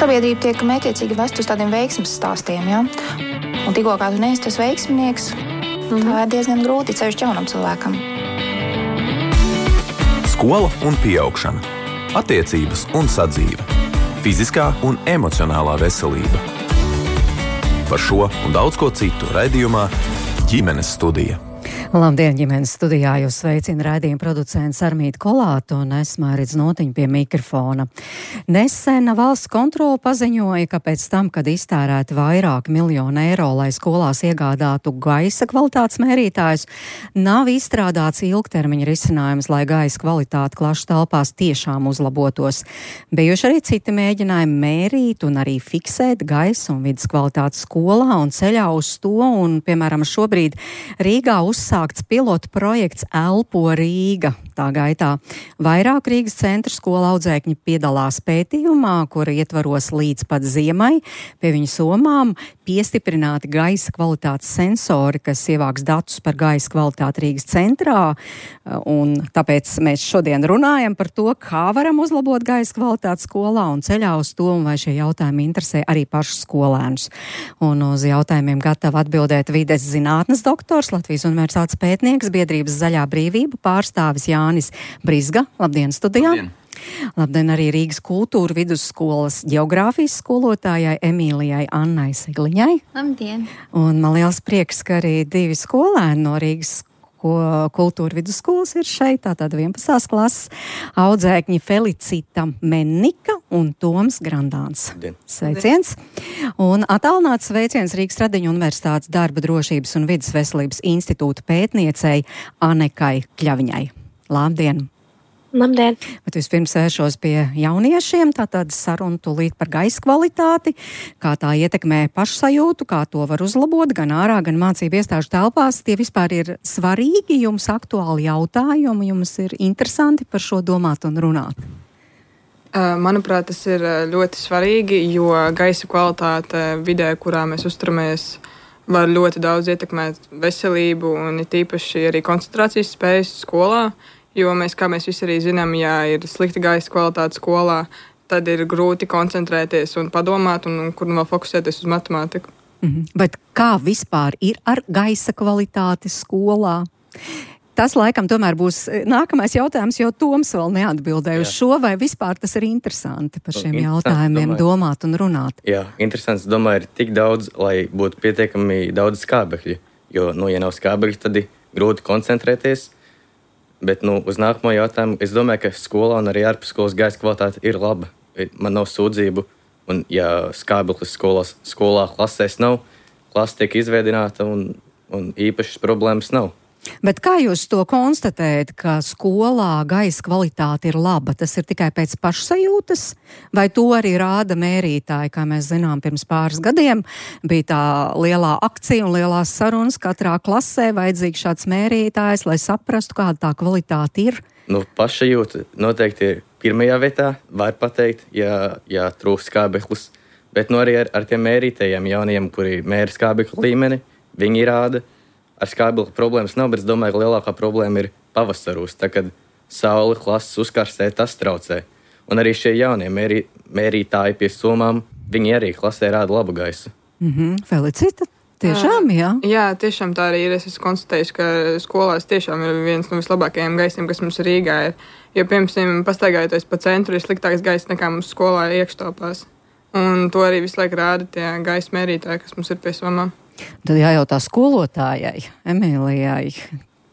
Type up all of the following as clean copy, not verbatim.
sabiedrība tiek mētiecīgi vest uz tādiem veiksmes stāstiem, ja? Un tikko kā tu neesi tas veiksminieks, tā ir diezgan grūti ceļš jaunam cilvēkam. Skola un pieaugšana. Attiecības un sadzīve. Fiziskā un emocionālā veselība. Par šo un daudz ko citu raidījumā Ģimenes studija. Labdien, ģimenes studijā jūs sveicina raidījuma producents Armīta Kolāta un es Māris Notiņa pie mikrofona. Nesen valsts kontrole paziņoja, ka pēc tam, kad iztērēti vairāk miljonu eiro, lai skolās iegādātu gaisa kvalitātes mērītājus, nav izstrādāts ilgtermiņa risinājums, lai gaisa kvalitāte klašu telpās tiešām uzlabotos. Bijuši arī citi mēģinājumi mērīt un arī fiksēt gaisa un vidas kvalitātes skolā un ceļā uz to, un, piemēram, šobrīd Rīgā uzsākts pilotu projekts Elpo Rīga. Tā gaitā vairāk Rīgas centra skola audzēkņi piedalās pētījumā, kura ietvaros līdz pat ziemai pie viņu somām piestiprināti gaisa kvalitātes sensori, kas ievāks datus par gaisa kvalitāti Rīgas centrā. Un tāpēc mēs šodien runājam par to, kā varam uzlabot gaisa kvalitāti skolā un ceļā uz to, un vai šie jautājumi interesē arī pašus skolēnus. Un uz jautājumiem gatava atbildēt vides zinātnes doktors, Latvijas Universitātes pētnieks, biedrības Zaļā brīvība pārstāvis Jānis Brizga. Labdien, studijā! Labdien! Labdien arī Rīgas kultūra vidusskolas ģeogrāfijas skolotājai Emīlijai Annai Sigliņai. Labdien! Un man liels prieks, ka arī divi skolēni no Rīgas kultūra vidusskolas ir šeit, tātad 11. klases audzēkņi Felicita Mennika un Toms Grandāns. Labdien. Sveiciens! Un attālināts sveiciens Rīgas Tradiņu Universitātes darba drošības un vidas veselības institūta pētniecei Anekai Kļaviņai. Labdien! Labdien! Bet vispirms vēršos pie jauniešiem, tātad saruna tūlīt par gaisa kvalitāti, kā tā ietekmē pašsajūtu, kā to var uzlabot gan ārā, gan mācību iestāžu telpās. Tie vispār ir svarīgi, jums aktuāli jautājumi, jums ir interesanti par šo domāt un runāt? Manuprāt, tas ir ļoti svarīgi, jo gaisa kvalitāte vidē, kurā mēs uzturamies, var ļoti daudz ietekmēt veselību un it īpaši arī koncentrācijas spējas skolā. Jo mēs, kā mēs visi arī zinām, ja ir slikta gaisa kvalitāte skolā, tad ir grūti koncentrēties un padomāt, un kur vēl fokusēties uz matemātiku. Bet kā vispār ir ar gaisa kvalitāti skolā? Tas laikam tomēr būs nākamais jautājums, jo Toms vēl neatbildēja uz šo, vai vispār tas ir interesanti par šiem jautājumiem domāt un runāt? Jā, interesants, domāju, ir tik daudz, lai būtu pietiekami daudz skābekļu, jo, ja nav skābekļu, tad ir grūti koncentrēties. Bet, uz nākamo jautājumu, es domāju, ka skolā un arī ārpus skolas gaisa kvalitāte ir laba. Man nav sūdzību, un ja skābeklis skolā klasēs nav, klase tiek izveidināta un īpašas problēmas nav. Bet kā jūs to konstatējat, ka skolā gaisa kvalitāte ir laba? Tas ir tikai pēc pašsajūtas, vai to arī rāda mērītāji? Kā mēs zinām, pirms pāris gadiem bija tā lielā akcija un lielās sarunas. Katrā klasē vajadzīgs šāds mērītājs, lai saprastu, kāda tā kvalitāte ir. Pašsajūta noteikti ir pirmajā vietā, var pateikt, ja trūkst skābeklis. Bet arī ar tiem mērītājiem jauniem, kuri mēra skābekļa līmeni, viņi rāda. Ar skābekļa problēmas nav, bet es domāju, ka lielākā problēma ir pavasarūs. Tā, kad saule klases uzkarstē, tas traucē. Un arī šie jaunie mērītāji pie somām, viņi arī klasē rāda labu gaisu. Felicita, tiešām, jā? Jā, tiešām tā arī ir. Es esmu konstatējis, ka skolās tiešām ir viens no vislabākajiem gaisiem, kas mums Rīgā ir. Jo, piemēram, pastaigājoties pa centru, ir sliktāks gaiss nekā mums skolā iekštelpās. Un to arī visu laiku rāda tie gaisa mērītāji, kas mums ir pie somām. Tad jājautā skolotājai, Emīlijai.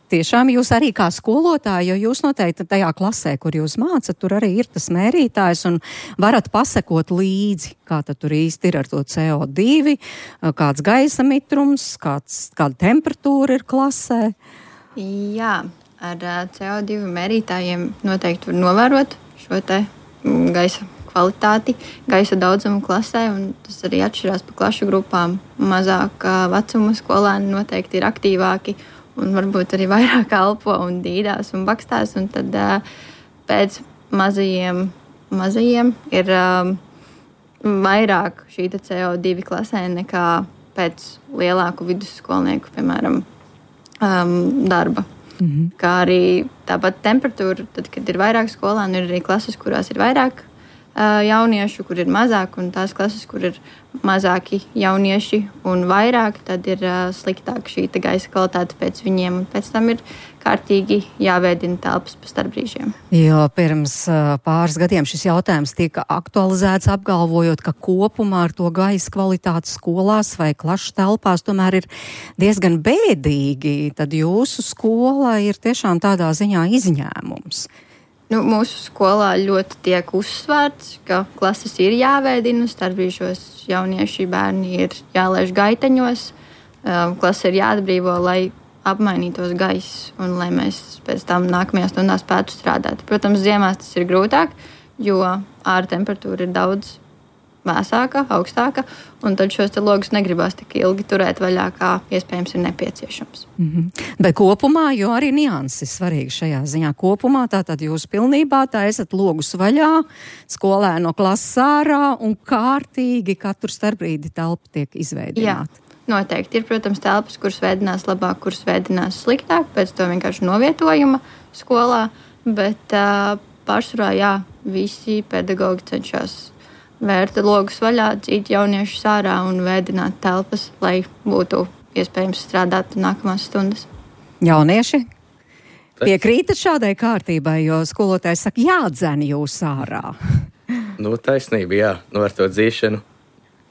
Tiešām jūs arī kā skolotāji, jo jūs noteikti tajā klasē, kur jūs mācat, tur arī ir tas mērītājs un varat pasekot līdzi, kā tad tur īsti ir ar to CO2, kāds gaisa mitrums, kāda temperatūra ir klasē. Jā, ar CO2 mērītājiem noteikti var novērot šo te gaisa kvalitāti, gaisa daudzumu klasē, un tas arī atšķirās pa klašu grupām. Mazāk vecuma skolēni noteikti ir aktīvāki un varbūt arī vairāk elpo un dīdās un bakstās, un tad pēc mazajiem ir vairāk šī CO2 klasē nekā pēc lielāku vidusskolnieku, piemēram, darba. Kā arī tāpat temperatūra, tad, kad ir vairāk skolēnu, ir arī klases, kurās ir vairāk jauniešu, kur ir mazāk, un tās klases, kur ir mazāki jaunieši un vairāk, tad ir sliktāk šī gaisa kvalitāte pēc viņiem, un pēc tam ir kārtīgi jāveidina telpas pa starpbrīžiem. Jo pirms pāris gadiem šis jautājums tika aktualizēts, apgalvojot, ka kopumā ar to gaisa kvalitāti skolās vai klašu telpās tomēr ir diezgan bēdīgi. Tad jūsu skola ir tiešām tādā ziņā izņēmums. Mūsu skolā ļoti tiek uzsvērts, ka klases ir jāveidina, starpbrīžos jaunieši bērni ir jālaiž gaiteņos, klase ir jāatbrīvo, lai apmainītos gaiss un lai mēs pēc tam nākamajās stundās spētu strādāt. Protams, ziemās tas ir grūtāk, jo ārā temperatūra ir daudz vēsāka, augstāka, un tad šos logus negribās tik ilgi turēt vaļā, kā iespējams ir nepieciešams. Bet kopumā, jo arī nianses svarīgi šajā ziņā, kopumā tātad jūs pilnībā taisat logus vaļā, skolēno klases ārā un kārtīgi katru starpbrīdi telpa tiek izveidināta. Jā. Noteikti ir, protams, telpas, kuras veidinās labāk, kuras veidinās sliktāk, pēc to vienkārši novietojuma skolā, bet pārsvarā, visi pedagogi cenšas vērt logus vaļā, dzīt jauniešus ārā un veidināt telpas, lai būtu iespējams strādāt nākamās stundas. Jaunieši piekrītat šādai kārtībai, jo skolotājs saka, jādzen jūs ārā. Taisnība, jā, ar to dzīšanu.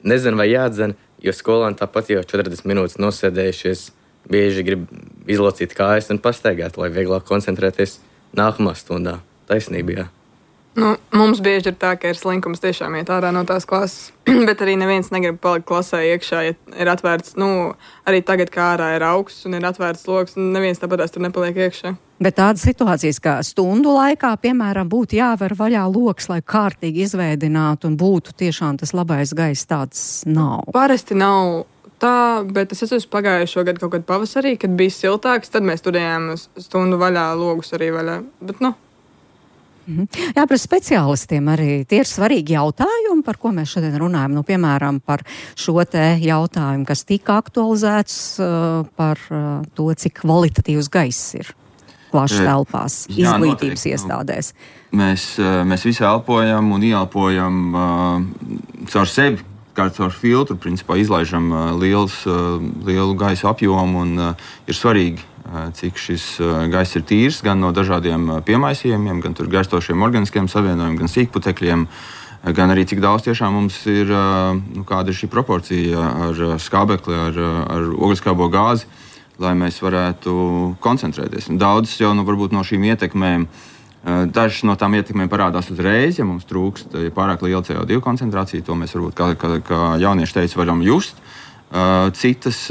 Nezinu, vai jādzen, jo skolāni tāpat jau 40 minūtes nosēdējušies, bieži grib izlocīt kājas un pastaigāt, lai vieglāk koncentrēties nākamā stundā. Taisnība, jā. Mums bieži ir tā, ka ir slinkums tiešām iet ārā no tās klases, bet arī neviens negrib palikt klasē iekšā, ja ir atvērts, arī tagad, kā ārā ir augsts un ir atvērts logs, un neviens tāpatās tur nepaliek iekšā. Bet tādas situācijas, kā stundu laikā, piemēram, būtu jāver vaļā logs, lai kārtīgi izveidinātu un būtu tiešām tas labais gaiss, tāds nav. Parasti nav tā, bet es esmu pagājušo gadu kaut kad pavasarī, kad bija siltāks, tad mēs turējām stundu vaļā, logus arī vaļā, bet Jā, par speciālistiem arī tie ir svarīgi jautājumi, par ko mēs šodien runājam. Piemēram, par šo te jautājumu, kas tika aktualizēts par to, cik kvalitatīvs gaiss ir klašu telpās, izglītības iestādēs. Mēs visi elpojam un ieelpojam caur sevi, kā caur filtru, principā izlaižam lielu gaisa apjomu un ir svarīgi, cik šis gaiss ir tīrs, gan no dažādiem piemaisījumiem, gan tur gaistošiem organiskiem savienojumiem, gan sīkputekļiem, gan arī cik daudz tiešām mums ir, kāda ir šī proporcija ar skābekli, ar ogleskābo gāzi, lai mēs varētu koncentrēties. Un daudz jau varbūt no šīm ietekmēm, dažas no tām ietekmēm parādās uzreiz, ja mums trūkst pārāk liela CO2 koncentrācija, to mēs varbūt, kā jaunieši teica, varam just. Citas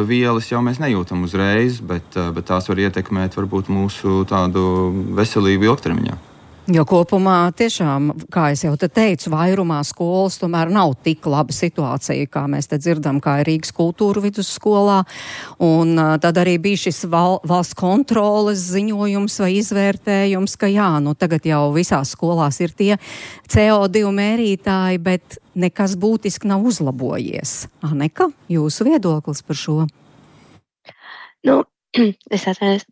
vielas jau mēs nejūtam uzreiz, bet tās var ietekmēt varbūt mūsu tādu veselību ilgtermiņā. Jo kopumā tiešām, kā es jau te teicu, vairumā skolas tomēr nav tik laba situācija, kā mēs te dzirdam, kā ir Rīgas kultūra vidusskolā. Un tad arī bija šis valsts kontroles ziņojums vai izvērtējums, ka tagad jau visās skolās ir tie CO2 mērītāji, bet nekas būtiski nav uzlabojies. Aneka, jūsu viedoklis par šo? Es atvainojos.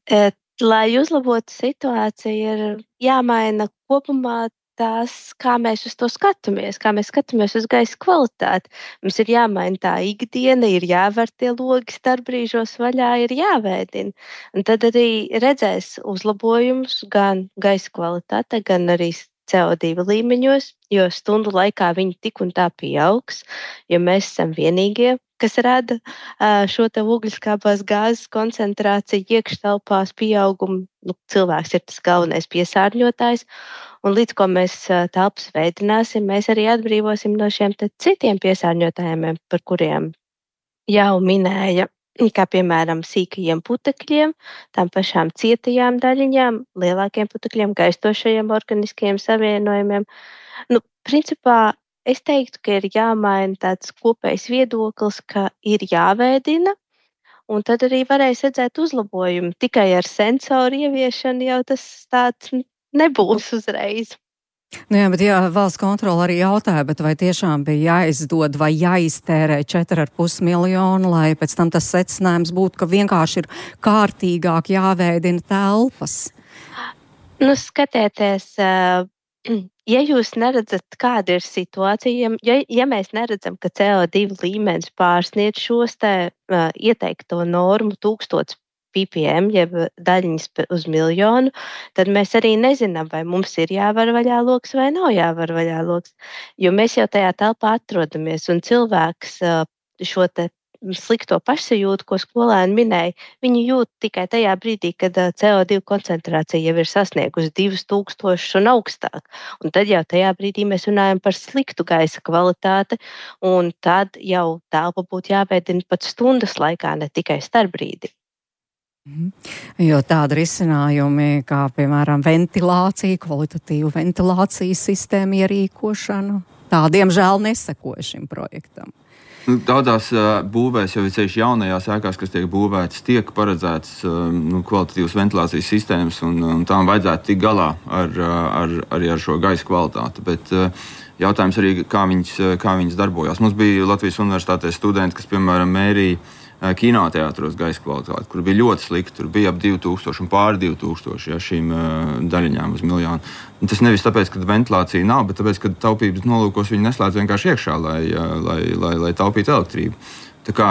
Lai uzlabotu situāciju, ir jāmaina kopumā tās, kā mēs uz to skatāmies, kā mēs skatāmies uz gaisa kvalitāti. Mums ir jāmaina tā ikdiena, ir jāver tie logi starpbrīžos vaļā, ir jāveidina. Un tad arī redzēs uzlabojumus gan gaisa kvalitāte, gan arī CO2 līmeņos, jo stundu laikā viņi tik un tā pieaugs, jo mēs esam vienīgie, kas rada šo te ogleskābās gāzes koncentrāciju iekštelpās pieaugumu. Cilvēks ir tas galvenais piesārņotājs, un līdz ko mēs telpas veidināsim, mēs arī atbrīvosim no šiem citiem piesārņotājiem, par kuriem jau minēja, kā piemēram sīkajiem putekļiem, tām pašām cietajām daļiņām, lielākiem putekļiem, gaistošajiem organiskiem savienojumiem. Principā es teiktu, ka ir jāmaina tāds kopējs viedoklis, ka ir jāveidina, un tad arī varēs redzēt uzlabojumu. Tikai ar sensoru ieviešanu jau tas tāds nebūs uzreiz. Bet valsts kontrole arī jautāja, bet vai tiešām bija jāizdod vai jāiztērē 4,5 miljonu, lai pēc tam tas secinājums būtu, ka vienkārši ir kārtīgāk jāveidina telpas? Skatieties, ja jūs neredzat, kāda ir situācija, ja mēs neredzam, ka CO2 līmenis pārsniedz šos ieteikto normu 1000 ppm, jeb daļiņas uz miljonu, tad mēs arī nezinām, vai mums ir jāvar vaļā loks vai nav jāvar vaļā loks. Jo mēs jau tajā telpā atrodamies, un cilvēks šo slikto pašsajūtu, ko skolēni minēja, viņi jūt tikai tajā brīdī, kad CO2 koncentrācija jau ir sasniegusi 2000 un augstāk. Un tad jau tajā brīdī mēs runājam par sliktu gaisa kvalitāti, un tad jau telpa būtu jāveidina pat stundas laikā, ne tikai starpbrīdī. Jo tāda risinājumi, kā piemēram ventilācija, kvalitatīvu ventilācijas sistēmu ierīkošanu, tādiem žēl nesekoja šim projektam. Daudzās būvēs, jau ceļš jaunajās ēkās, kas tiek būvētas, tiek paredzētas kvalitatīvas ventilācijas sistēmas, un tām vajadzētu tikt galā arī ar šo gaisa kvalitāti. Bet jautājums arī, kā viņas darbojās. Mums bija Latvijas universitātē studenti, kas, piemēram, mērīja kinoteātros gaisa kvalitāti, kur bija ļoti slikti. Tur bija ap 2000 un pāri 2000 šīm daļiņām uz miljonu. Un tas nevis tāpēc, ka ventilācija nav, bet tāpēc, ka taupības nolūkos viņi neslēdz vienkārši iekšā, lai taupītu elektrību. Tā kā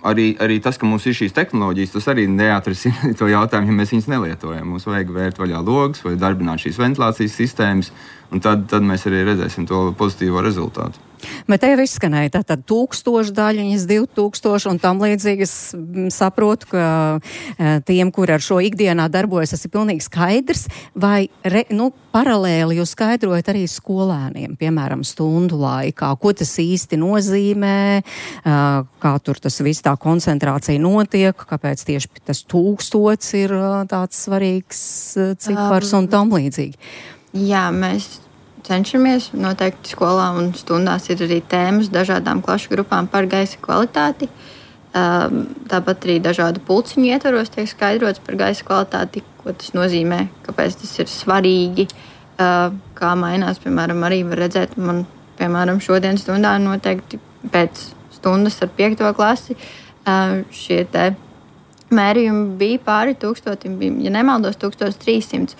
arī tas, ka mums ir šīs tehnoloģijas, tas arī neatrisina to jautājumu, ja mēs viņas nelietojam. Mums vajag vērt vaļā logus vai darbināt šīs ventilācijas sistēmas, un tad mēs arī redzēsim to pozitīvo rezultātu. Bet te jau izskanēja tātad 1000 daļiņas, 2000 un tam līdzīgi. Es saprotu, ka tiem, kuri ar šo ikdienā darbojas, tas ir pilnīgi skaidrs. Vai paralēli jūs skaidrojat arī skolēniem, piemēram, stundu laikā, ko tas īsti nozīmē, kā tur tas viss tā koncentrācija notiek, kāpēc tieši tas 1000 ir tāds svarīgs cipars un tam līdzīgi? Jā, mēs cenšamies. Noteikti skolā un stundās ir arī tēmas dažādām klašu grupām par gaisa kvalitāti. Tāpat arī dažādu pulciņu ietvaros tiek skaidrots par gaisa kvalitāti, ko tas nozīmē, kāpēc tas ir svarīgi, kā mainās. Piemēram, arī var redzēt, man, piemēram, šodien stundā noteikti pēc stundas ar 5. klasi šie te mērījumi bija pāri 1000, ja nemaldos, 1300.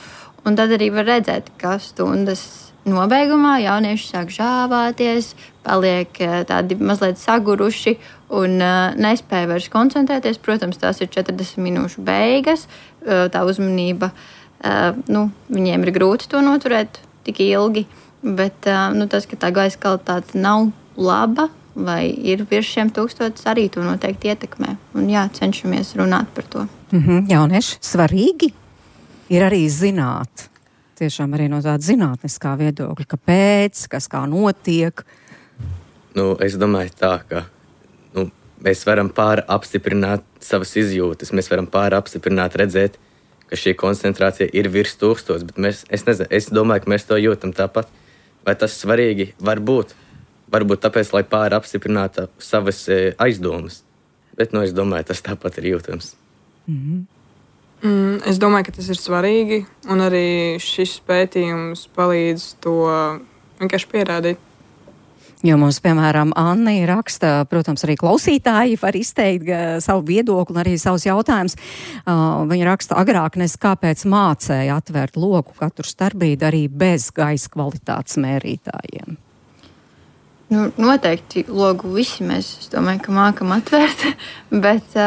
Un tad arī var redzēt, ka stundas nobeigumā jaunieši sāk žāvāties, paliek tādi mazliet saguruši un nespēja vairs koncentrēties. Protams, tās ir 40 minūšu beigas, tā uzmanība, viņiem ir grūti to noturēt tik ilgi, bet tas, ka tā gaisa kvalitāte nav laba vai ir virs šiem 1000, arī to noteikti ietekmē. Un jā, cenšamies runāt par to. Jaunieši, svarīgi ir arī zināt. Tiešām arī no tāda zinātniskā viedokļa, kāpēc, kas kā notiek. Es domāju tā, ka mēs varam apstiprināt savas izjūtas, mēs varam apstiprināt, redzēt, ka šī koncentrācija ir virs 1000, bet es domāju, ka mēs to jūtam tāpat. Vai tas svarīgi? Varbūt tāpēc, lai apstiprinātu savas aizdomas, bet es domāju, tas tāpat ir jūtams. Es domāju, ka tas ir svarīgi, un arī šis pētījums palīdz to vienkārši pierādīt. Jo mums, piemēram, Anna raksta, protams, arī klausītāji var izteikt savu viedokli un arī savus jautājumus. Viņa raksta, agrāk kāpēc mācēja atvērt loku katru starpbrīdi arī bez gaisa kvalitātes mērītājiem. Noteikti logu visi mēs, es domāju, ka mākam atvērt, bet...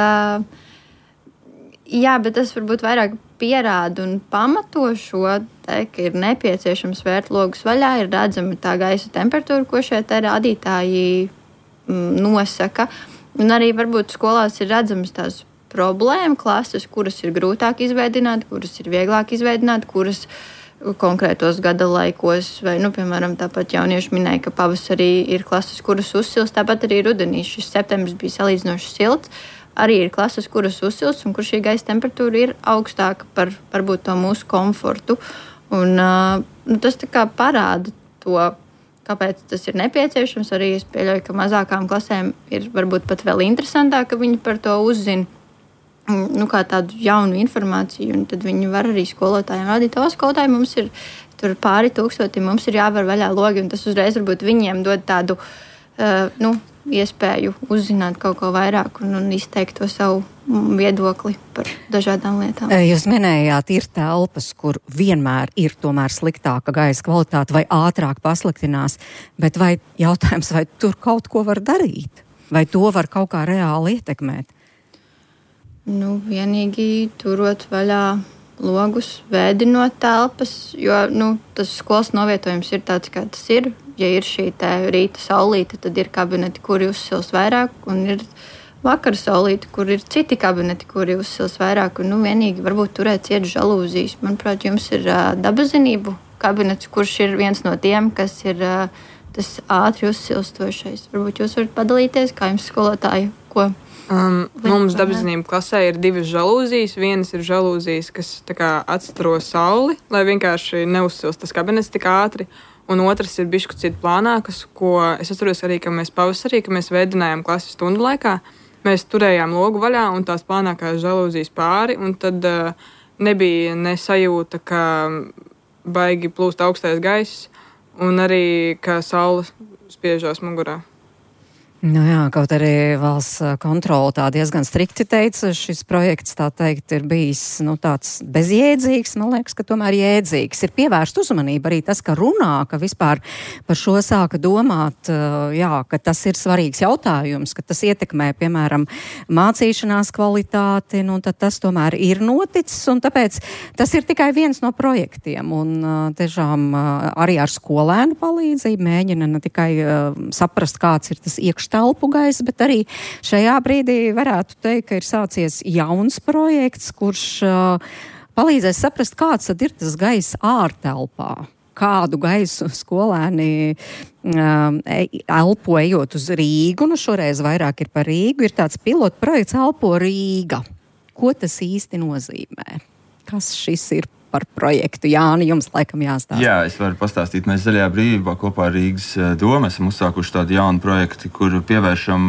Jā, bet tas varbūt vairāk pierāda un pamato šo, ka ir nepieciešams vērt logus vaļā, ir redzama tā gaisa temperatūra, ko šie rādītāji nosaka. Un arī varbūt skolās ir redzamas tās problēma klases, kuras ir grūtāk izveidināt, kuras ir vieglāk izveidināt, kuras konkrētos gada laikos, vai, piemēram, tāpat jaunieši minēja, ka pavasarī ir klases, kuras uzsilst, tāpat arī rudenī. Šis septembris bija salīdzinoši silts. Arī ir klases, kuras uzsilst un kur šī gaisa temperatūra ir augstāka par varbūt to mūsu komfortu. Un, tas tā kā parāda to, kāpēc tas ir nepieciešams. Arī es pieļauju, ka mazākām klasēm ir varbūt pat vēl interesantāk, ka viņi par to uzzina kā tādu jaunu informāciju. Un tad viņi var arī skolotājiem rādīt, skolotāji, mums ir tur pāri 1000, mums ir jāvar vaļā logi. Un tas uzreiz varbūt viņiem dod tādu iespēju uzzināt kaut ko vairāk un izteikt to savu viedokli par dažādām lietām. Jūs minējāt, ir telpas, kur vienmēr ir tomēr sliktāka gaisa kvalitāte vai ātrāk pasliktinās, bet vai jautājums, vai tur kaut ko var darīt? Vai to var kaut kā reāli ietekmēt? Vienīgi turot vaļā logus, vēdinot telpas, jo tas skolas novietojums ir tāds, kā tas ir. Ja ir šī rīta saulīte, tad ir kabineti, kuri uzsils vairāk, un ir vakara saulīte, kur ir citi kabineti, kuri uzsils vairāk, un vienīgi varbūt turēt ciet žalūzijas. Manuprāt, jums ir dabazinību kabinets, kurš ir viens no tiem, kas ir tas ātri uzsilstošais. Varbūt jūs varat padalīties, kā jums skolotāji, ko? Mums dabazinību klasē ir 2 žalūzijas. Vienas ir žalūzijas, kas atstaro sauli, lai vienkārši neuzsilst tas kabinets tik ātri. Un otrs ir bišķi citi plānākas, ko es atceros arī, ka mēs pavasarī, kad mēs veidinājām klases stundu laikā, mēs turējām logu vaļā un tās plānākās žalūzijas pāri, un tad nebija nesajūta, ka baigi plūst augstais gaiss, un arī, ka saule spiežās mugurā. Jā, kaut arī valsts kontrole tā diezgan strikti teica, šis projekts, tā teikt, ir bijis tāds bezjēdzīgs, man liekas, ka tomēr jēdzīgs. Ir pievērst uzmanību arī tas, ka runā, ka vispār par šo sāka domāt, ka tas ir svarīgs jautājums, ka tas ietekmē, piemēram, mācīšanās kvalitāti, tad tas tomēr ir noticis, un tāpēc tas ir tikai viens no projektiem, un tiešām arī ar skolēnu palīdzību mēģina ne tikai saprast, kāds ir tas telpu gaisa, bet arī šajā brīdī varētu teikt, ka ir sācies jauns projekts, kurš palīdzēs saprast, kāds tad ir tas gaisa ārtelpā. Kādu gaisu skolēni elpo ejot uz Rīgu, šoreiz vairāk ir par Rīgu, ir tāds pilotu projekts Elpo Rīga. Ko tas īsti nozīmē? Kas šis ir par projektu? Jāni, jums laikam jāstāsta. Jā, es varu pastāstīt. Mēs Zaļajā brīvībā kopā ar Rīgas domu esam uzsākuši tādu jaunu projektu, kur pievēršam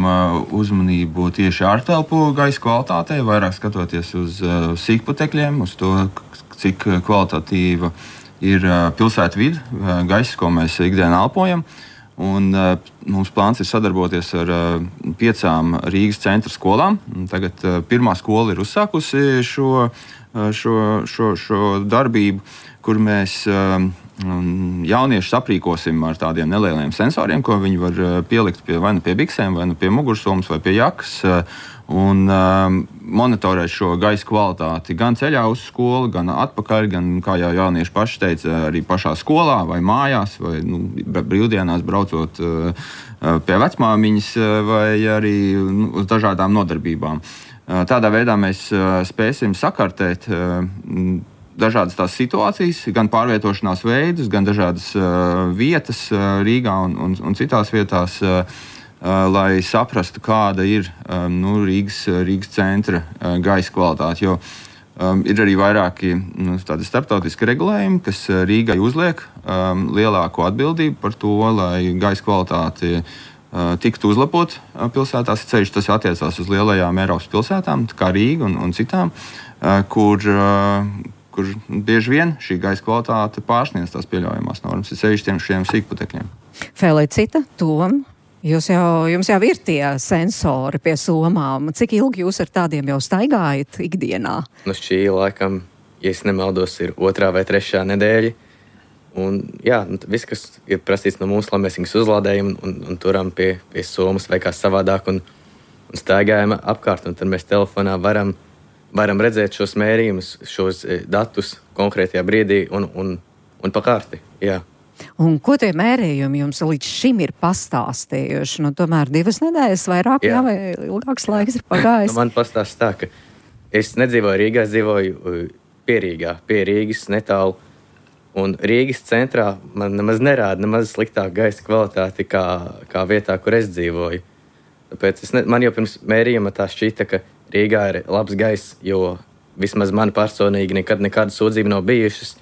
uzmanību tieši ārtelpu gaisa kvalitātei, vairāk skatoties uz sīkputekļiem, uz to, cik kvalitatīva ir pilsētu vide, gaisa, ko mēs ikdienā elpojam. Un mums plāns ir sadarboties ar 5 Rīgas centra skolām. Tagad pirmā skola ir uzsākusi šo darbību, kur mēs jauniešus aprīkosim ar tādiem nelieliem sensoriem, ko viņi var pielikt vai nu pie biksēm, vai nu pie mugursomas, vai pie jakas, un monitorēt šo gaisa kvalitāti gan ceļā uz skolu, gan atpakaļ, gan, kā jau jaunieši paši teica, arī pašā skolā vai mājās, vai brīvdienās braucot pie vecmāmiņas, vai arī uz dažādām nodarbībām. Tādā veidā mēs spēsim sakartēt dažādas tās situācijas, gan pārvietošanās veidus, gan dažādas vietas Rīgā un citās vietās, lai saprastu, kāda ir Rīgas centra gaisa kvalitāte. Jo ir arī vairāki tādi starptautiski regulējumi, kas Rīgai uzliek lielāko atbildību par to, lai gaisa kvalitāte tiktu uzlabot pilsētās. Ceļš tas attiecās uz lielajām Eiropas pilsētām, kā Rīga un citām, kur bieži vien šī gaisa kvalitāte pārsniedz tās pieļaujamās normas, ir ceļš šiem sīkputekļiem. Felicita, Tom, jums jau ir tie sensori pie somām. Cik ilgi jūs ar tādiem jau staigājat ikdienā? Šī laikam, ja es nemaldos, ir 2. vai 3. nedēļa. Un, viss, kas ir prasīts no mums, lai mēs viņus uzlādējam un turam pie somas vai kā savādāk un staigājam apkārt. Un tad mēs telefonā varam redzēt šos mērījumus, šos datus konkrētajā brīdī un pa kārti. Jā. Un ko tie mērījumi jums līdz šim ir pastāstījuši? Tomēr 2 nedēļas vairāk, vai ilgāks laiks ir pagājis? Man pastāst tā, ka es nedzīvoju Rīgā, es dzīvoju pie Rīgas netālu. Un Rīgas centrā man nemaz nerāda nemaz sliktāku gaisa kvalitāti kā vietā, kur es dzīvoju. Tāpēc man jau pirms mērījuma tā šķita, ka Rīgā ir labs gaiss, jo vismaz man personīgi nekāda sūdzība nav bijušas.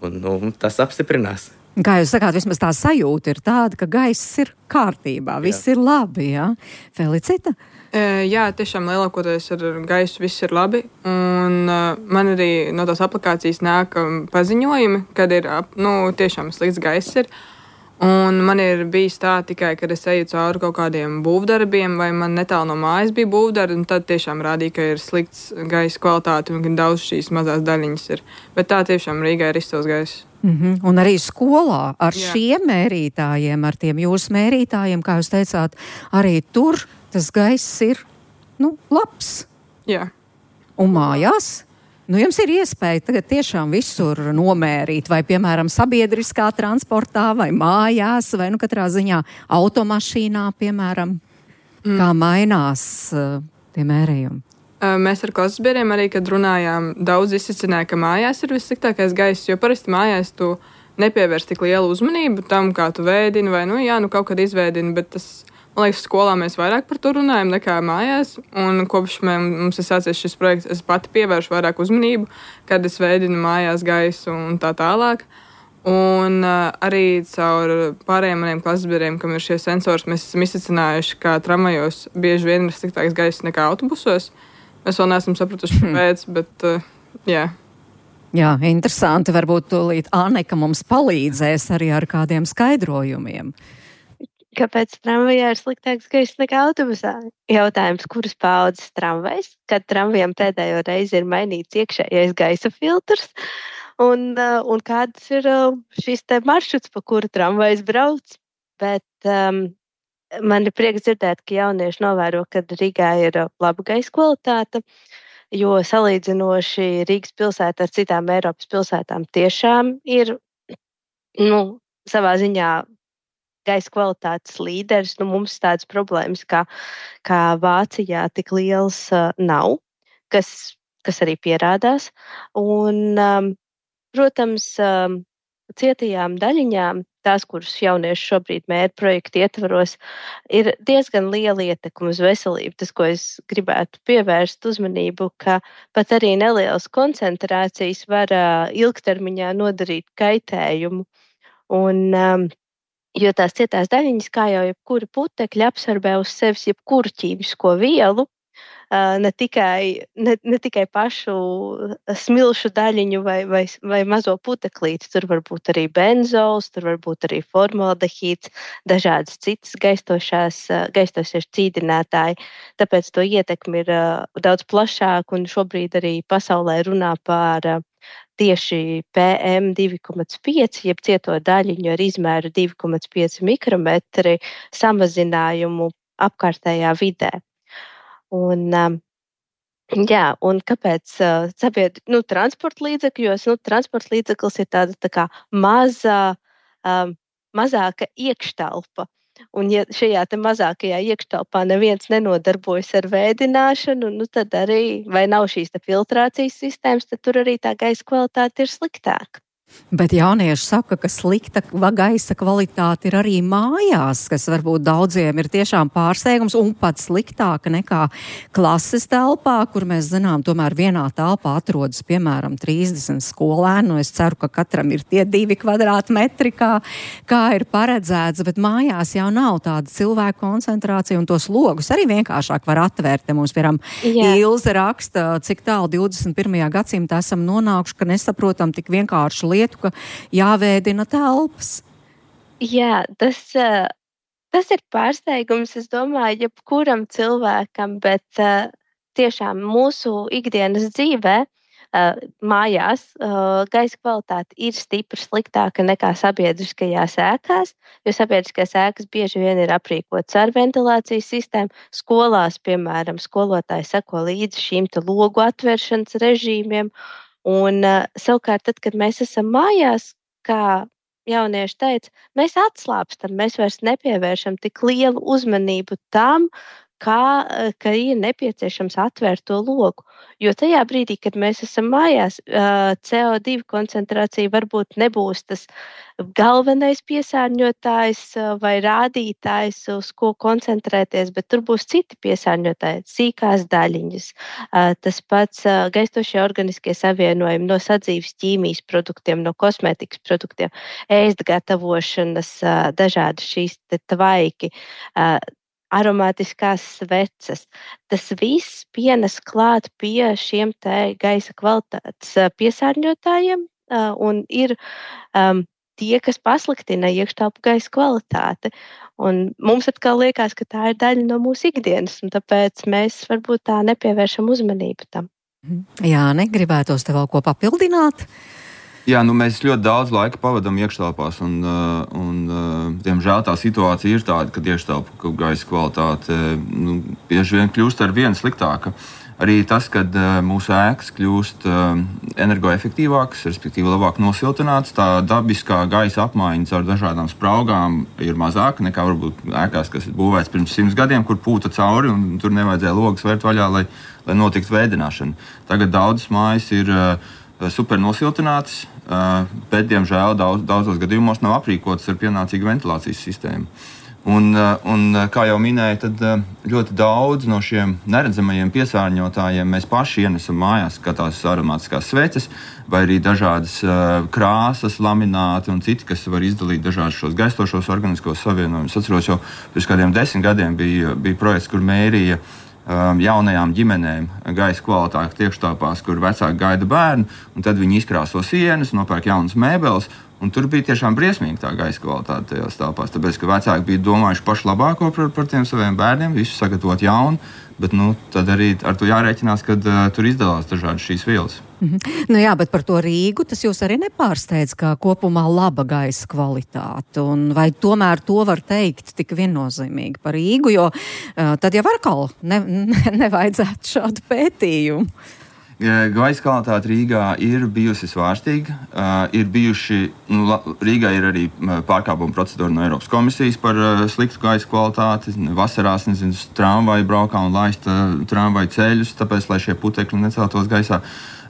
Un tas apstiprinās. Kā jūs sakāt, vismaz tā sajūta ir tāda, ka gaiss ir kārtībā, viss ir labi, jā? Felicita? Jā, tiešām lielākoties ar gaisu viss ir labi. Un man arī no tās aplikācijas nāk paziņojumi, kad ir tiešām slikts gaiss ir. Un man ir bijis tā tikai, kad es eju cauri kaut kādiem būvdarbiem, vai man netālu no mājas bija būvdarbi, un tad tiešām rādīja, ka ir slikts gaisa kvalitāte un ka daudz šīs mazās daļiņas ir. Bet tā tiešām Rīgā ir izcils gaiss. Un arī skolā ar šiem mērītājiem, ar tiem jūsu mērītājiem, kā jūs teicāt, arī tur tas gaiss ir, labs. Jā. Un mājās? Jums ir iespēja tagad tiešām visur nomērīt, vai, piemēram, sabiedriskā transportā, vai mājās, vai, katrā ziņā automašīnā, piemēram, kā mainās tie mērījumi. Mēs ar klases biedriem arī, kad runājām, daudz izsacināja, ka mājās ir vissliktākais gaiss, jo parasti mājās tu nepievērs tik lielu uzmanību tam, kā tu vēdini, vai, kaut kad izvēdini, bet tas... Man liekas, skolā mēs vairāk par to runājam nekā mājās, un kopš mums ir sācies šis projekts, es pati pievēršu vairāk uzmanību, kad es veidinu mājās gaisu un tā tālāk. Un arī caur pārējiem maniem klases biedriem, kam ir šie sensori, mēs esam izsacinājuši, ka tramvajos bieži vien ir sliktāks gaiss nekā autobusos. Mēs vēl neesam sapratuši, kāpēc, bet jā. Jā, interesanti. Varbūt tūlīt Anneka mums palīdzēs arī ar kādiem skaidrojumiem. Kāpēc tramvajā ir sliktāks gaiss nekā autobusā? Jautājums, kuras paudzes tramvajs, kad tramvajam pēdējo reizi ir mainīts iekšējais gaisa filtrs, un kāds ir šis te maršruts, pa kuru tramvajs brauc. Bet man ir prieks dzirdēt, ka jaunieši novēro, ka Rīgā ir laba gaisa kvalitāte, jo salīdzinoši Rīgas pilsēta ar citām Eiropas pilsētām tiešām ir, savā ziņā gaisa kvalitātes līderis. Mums tādas problēmas kā Vācijā tik liels nav, kas arī pierādās. Un, protams, cietajām daļiņām, tās, kuras jaunieši šobrīd mēra projekta ietvaros, ir diezgan liela ietekme uz veselību. Tas, ko es gribētu pievērst uzmanību, ka pat arī nelielas koncentrācijas var ilgtermiņā nodarīt kaitējumu. Un, jo tās cietās daļiņas, kā jau jebkura putekļa, absorbē uz sevis jebkuru ķīmisko vielu, ne tikai pašu smilšu daļiņu vai mazo puteklīti. Tur var būt arī benzols, tur var būt arī formaldehīds, dažādas citas gaistošie cīdinātāji. Tāpēc to ietekmi ir daudz plašāk, un šobrīd arī pasaulē runā par tieši PM2,5, jeb cieto daļiņu ar izmēru 2,5 mikrometri samazinājumu apkārtējā vidē. Un kāpēc transporta līdzekļos? Transporta līdzeklis ir tāda tā kā mazāka iekštelpa. Un ja šajā te mazākajā iekštelpā neviens nenodarbojas ar vēdināšanu, tad arī, vai nav šīs te filtrācijas sistēmas, tad tur arī tā gaisa kvalitāte ir sliktāka. Bet jaunieši saka, ka slikta gaisa kvalitāte ir arī mājās, kas varbūt daudziem ir tiešām pārsteigums un pat sliktāka nekā klases telpā, kur mēs zinām, tomēr vienā telpā atrodas, piemēram, 30 skolēnu. Es ceru, ka katram ir tie 2 kvadrātmetri, kā ir paredzēts, bet mājās jau nav tāda cilvēku koncentrācija, un tos logus arī vienkāršāk var atvērt. Te mums, piemēram, Ilze raksta, cik tālu 21. gadsimtā esam nonākuši, ka nesaprotam tik vienkāršu lietu, ka jāvēdina telpas. Jā, tas ir pārsteigums, es domāju, jebkuram cilvēkam, bet tiešām mūsu ikdienas dzīvē mājās gaisa kvalitāte ir stipri sliktāka nekā sabiedriskajās ēkās, jo sabiedriskās ēkas bieži vien ir aprīkotas ar ventilācijas sistēmu. Skolās, piemēram, skolotāji seko līdzi šīm te logu atvēršanas režīmiem. Un savukārt, tad, kad mēs esam mājās, kā jaunieši teica, mēs atslābstam, mēs vairs nepievēršam tik lielu uzmanību tam, ka ir nepieciešams atvērt to logu. Jo tajā brīdī, kad mēs esam mājās, CO2 koncentrācija varbūt nebūs tas galvenais piesārņotājs vai rādītājs, uz ko koncentrēties, bet tur būs citi piesārņotāji, sīkās daļiņas, tas pats gaistošie organiskie savienojumi no sadzīves ķīmijas produktiem, no kosmētikas produktiem, ēst gatavošanas, dažādi šīs tvaiki, aromātiskās sveces. Tas viss pienes klāt pie šiem te gaisa kvalitātes piesārņotājiem un ir tie, kas pasliktina iekštelpu gaisa kvalitāti. Un mums atkal liekas, ka tā ir daļa no mūsu ikdienas, un tāpēc mēs varbūt tā nepievēršam uzmanību tam. Jāni, gribētos te vēl ko papildināt? Jā, mēs ļoti daudz laika pavadām iekštelpās, un diemžēl tā situācija ir tāda, ka iekštelpu gaisa kvalitāte bieži vien kļūst ar vien sliktāka. Arī tas, kad mūsu ēkas kļūst energoefektīvākas, respektīvi labāk nosiltinātas, tā dabiskā gaisa apmaiņa caur dažādām spraugām ir mazāka nekā varbūt ēkās, kas ir būvēts pirms 100 gadiem, kur pūta cauri un tur nevajadzēja logas vērt vaļā, lai notiktu vēdināšana. Tagad daudzas mājas ir super nosiltinātas, bet, diemžēl, daudzos gadījumos nav aprīkotas ar pienācīgu ventilācijas sistēmu. Un, kā jau minēju, tad ļoti daudz no šiem neredzamajiem piesārņotājiem mēs paši ienesam mājās, kā tās aromātiskās sveces, vai arī dažādas krāsas, lamināti un citi, kas var izdalīt dažādus šos gaistošos organiskos savienojumus. Atceros, jau pirms kādiem 10 gadiem bija projekts, kur mērīja jaunajām ģimenēm gaisa kvalitāti iekštelpās, kur vecāki gaida bērnu, un tad viņi izkrāso sienas, nopērk jaunas mēbeles, un tur bija tiešām briesmīgi tā gaisa kvalitāte tajās telpās, tāpēc, ka vecāki bija domājuši pašu labāko par tiem saviem bērniem, visu sagatavot jaunu, bet tad arī ar to jārēķinās, kad tur izdalās dažādas šīs vielas. Jā, bet par to Rīgu tas jūs arī nepārsteidz, kā kopumā laba gaisa kvalitāte, un vai tomēr to var teikt tik viennozīmīgi par Rīgu, jo tad jau atkal nevajadzētu šādu pētījumu. Gaisa kvalitāte Rīgā ir bijusi svārstīga. Rīgā ir arī pārkāpuma procedūra no Eiropas komisijas par sliktu gaisa kvalitāti. Vasarās, tramvaji braukā un laista tramvaju ceļus, tāpēc, lai šie putekļi neceltos gaisā.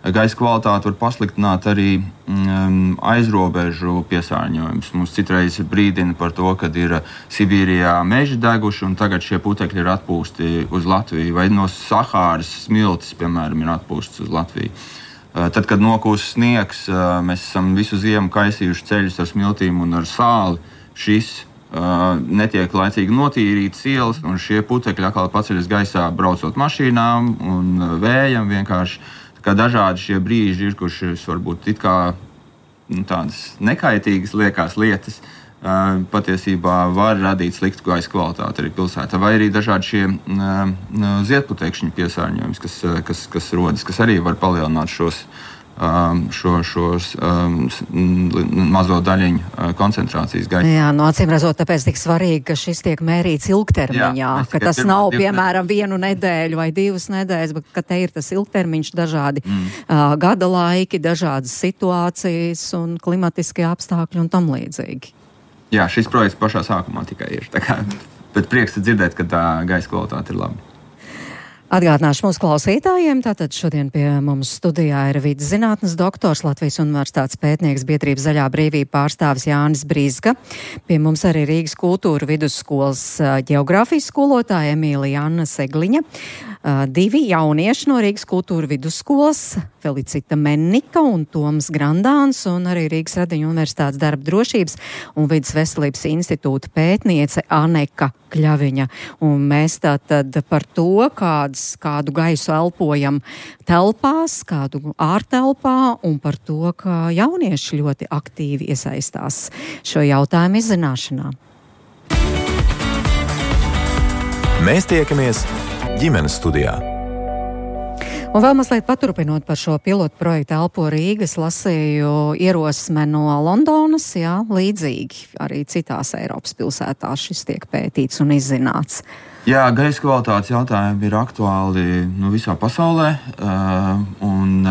Gaisa kvalitāte var pasliktināt arī aizrobežu piesārņojumus. Mums citreiz brīdina par to, kad ir Sibīrijā meži deguši un tagad šie putekļi ir atpūsti uz Latviju, vai no Sahāras smiltis, piemēram, ir atpūstas uz Latviju. Tad, kad nokūst sniegs, mēs esam visu ziemu kaisījuši ceļus ar smiltīm un ar sāli. Šis netiek laicīgi notīrītas ielas, un šie putekļi atkal paceļas gaisā braucot mašīnām un vējam vienkārši. Kā dažādi šie brīži ir, kurš varbūt it kā tādas nekaitīgas liekas lietas, patiesībā var radīt sliktu gaisa kvalitāti arī pilsētā. Vai arī dažādi šie ziedputekšņu piesārņojums, kas rodas, kas arī var palielināt šos mazo daļiņu koncentrācijas gaisa. Jā, acīm redzot, tāpēc tik svarīgi, ka šis tiek mērīts ilgtermiņā, ka tas nav, piemēram, 1 nedēļu vai 2 nedēļas, bet ka te ir tas ilgtermiņš, dažādi gada laiki, dažādas situācijas un klimatiskie apstākļi un tam līdzīgi. Jā, šis projekts pašā sākumā tikai ir. Bet prieks dzirdēt, ka tā gaisa kvalitāte ir laba. Atgādināšu mūsu klausītājiem, tātad šodien pie mums studijā ir vides zinātnes doktors, Latvijas Universitātes pētnieks, biedrības Zaļā brīvība pārstāvis Jānis Brizga. Pie mums arī Rīgas kultūra vidusskolas ģeogrāfijas skolotāja Emīlija Anna Segliņa. 2 jaunieši no Rīgas kultūra vidusskolas, Felicita Mennika un Toms Grandāns, un arī Rīgas Radiņu Universitātes darba drošības un vides veselības institūta pētniece Aneka Kļaviņa. Un mēs tātad par to, kādu gaisu elpojam telpās, kādu ārtelpā, un par to, ka jaunieši ļoti aktīvi iesaistās šo jautājumu izzināšanā. Mēs tiekamies ģimenes studijā. Un vēl mazliet paturpinot par šo pilotu projektu Elpo Rīgas, lasīju ierosme no Londonas, jā, līdzīgi arī citās Eiropas pilsētās šis tiek pētīts un izzināts. Jā, gaisa kvalitātes jautājumi ir aktuāli visā pasaulē, un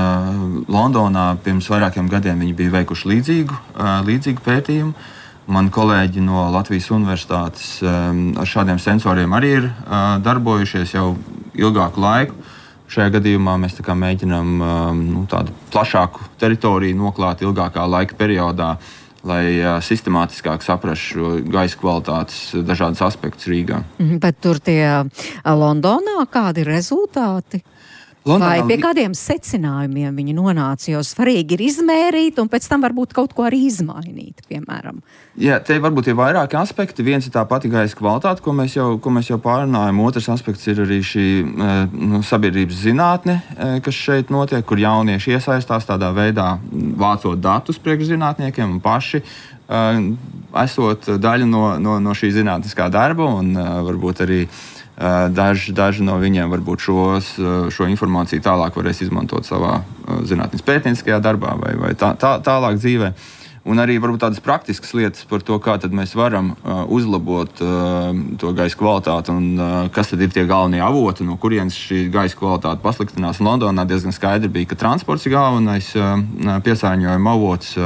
Londonā pirms vairākiem gadiem viņi bija veikuši līdzīgu pētījumu. Mani kolēģi no Latvijas Universitātes ar šādiem sensoriem arī ir darbojušies jau ilgāku laiku. Šajā gadījumā mēs mēģinām tādu plašāku teritoriju noklāt ilgākā laika periodā, lai sistemātiskāk saprastu šo gaisa kvalitātes dažādas aspektus Rīgā. Bet tur tie Londonā kādi ir rezultāti? Vai pie kādiem secinājumiem viņi nonāca, jo svarīgi ir izmērīt un pēc tam varbūt kaut ko arī izmainīt, piemēram? Jā, te varbūt ir vairāki aspekti. Viens ir tā pati gaisa kvalitāte, ko mēs jau pārunājam. Otrs aspekts ir arī šī sabiedrības zinātne, kas šeit notiek, kur jaunieši iesaistās tādā veidā, vācot datus priekš zinātniekiem un paši esot daļa no šī zinātniskā darba un varbūt arī daži no viņiem varbūt šo informāciju tālāk varēs izmantot savā zinātnes pētnieciskajā darbā vai tālāk dzīvē. Un arī varbūt tādas praktiskas lietas par to, kā tad mēs varam uzlabot to gaisa kvalitāti un kas tad ir tie galvenie avoti, no kurienes šī gaisa kvalitāte pasliktinās. Londonā diezgan skaidri bija, ka transports ir galvenais piesārņojuma avots,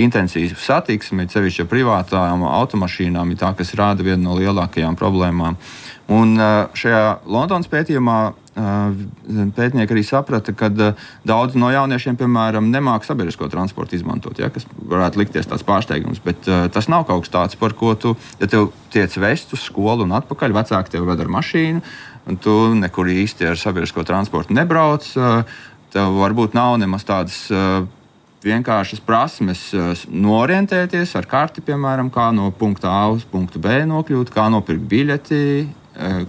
intensīva satiksme, sevišķi ar privātām automašīnām, ir tā, kas rāda vienu no lielākajām problēmām. Un šajā Londonas pētījumā pētnieki arī saprata, ka daudz no jauniešiem, piemēram, nemāk sabiedrisko transportu izmantot, kas varētu likties tāds pārsteigums, bet tas nav kaut kas tāds, par ko ja tev tiec vest uz skolu un atpakaļ, vecāki tev ved ar mašīnu, un tu nekur īsti ar sabiedrisko transportu nebrauc, tev varbūt nav nemaz tādas vienkāršas prasmes norientēties ar karti, piemēram, kā no punkta A uz punktu B nokļūt, kā nopirkt biļeti,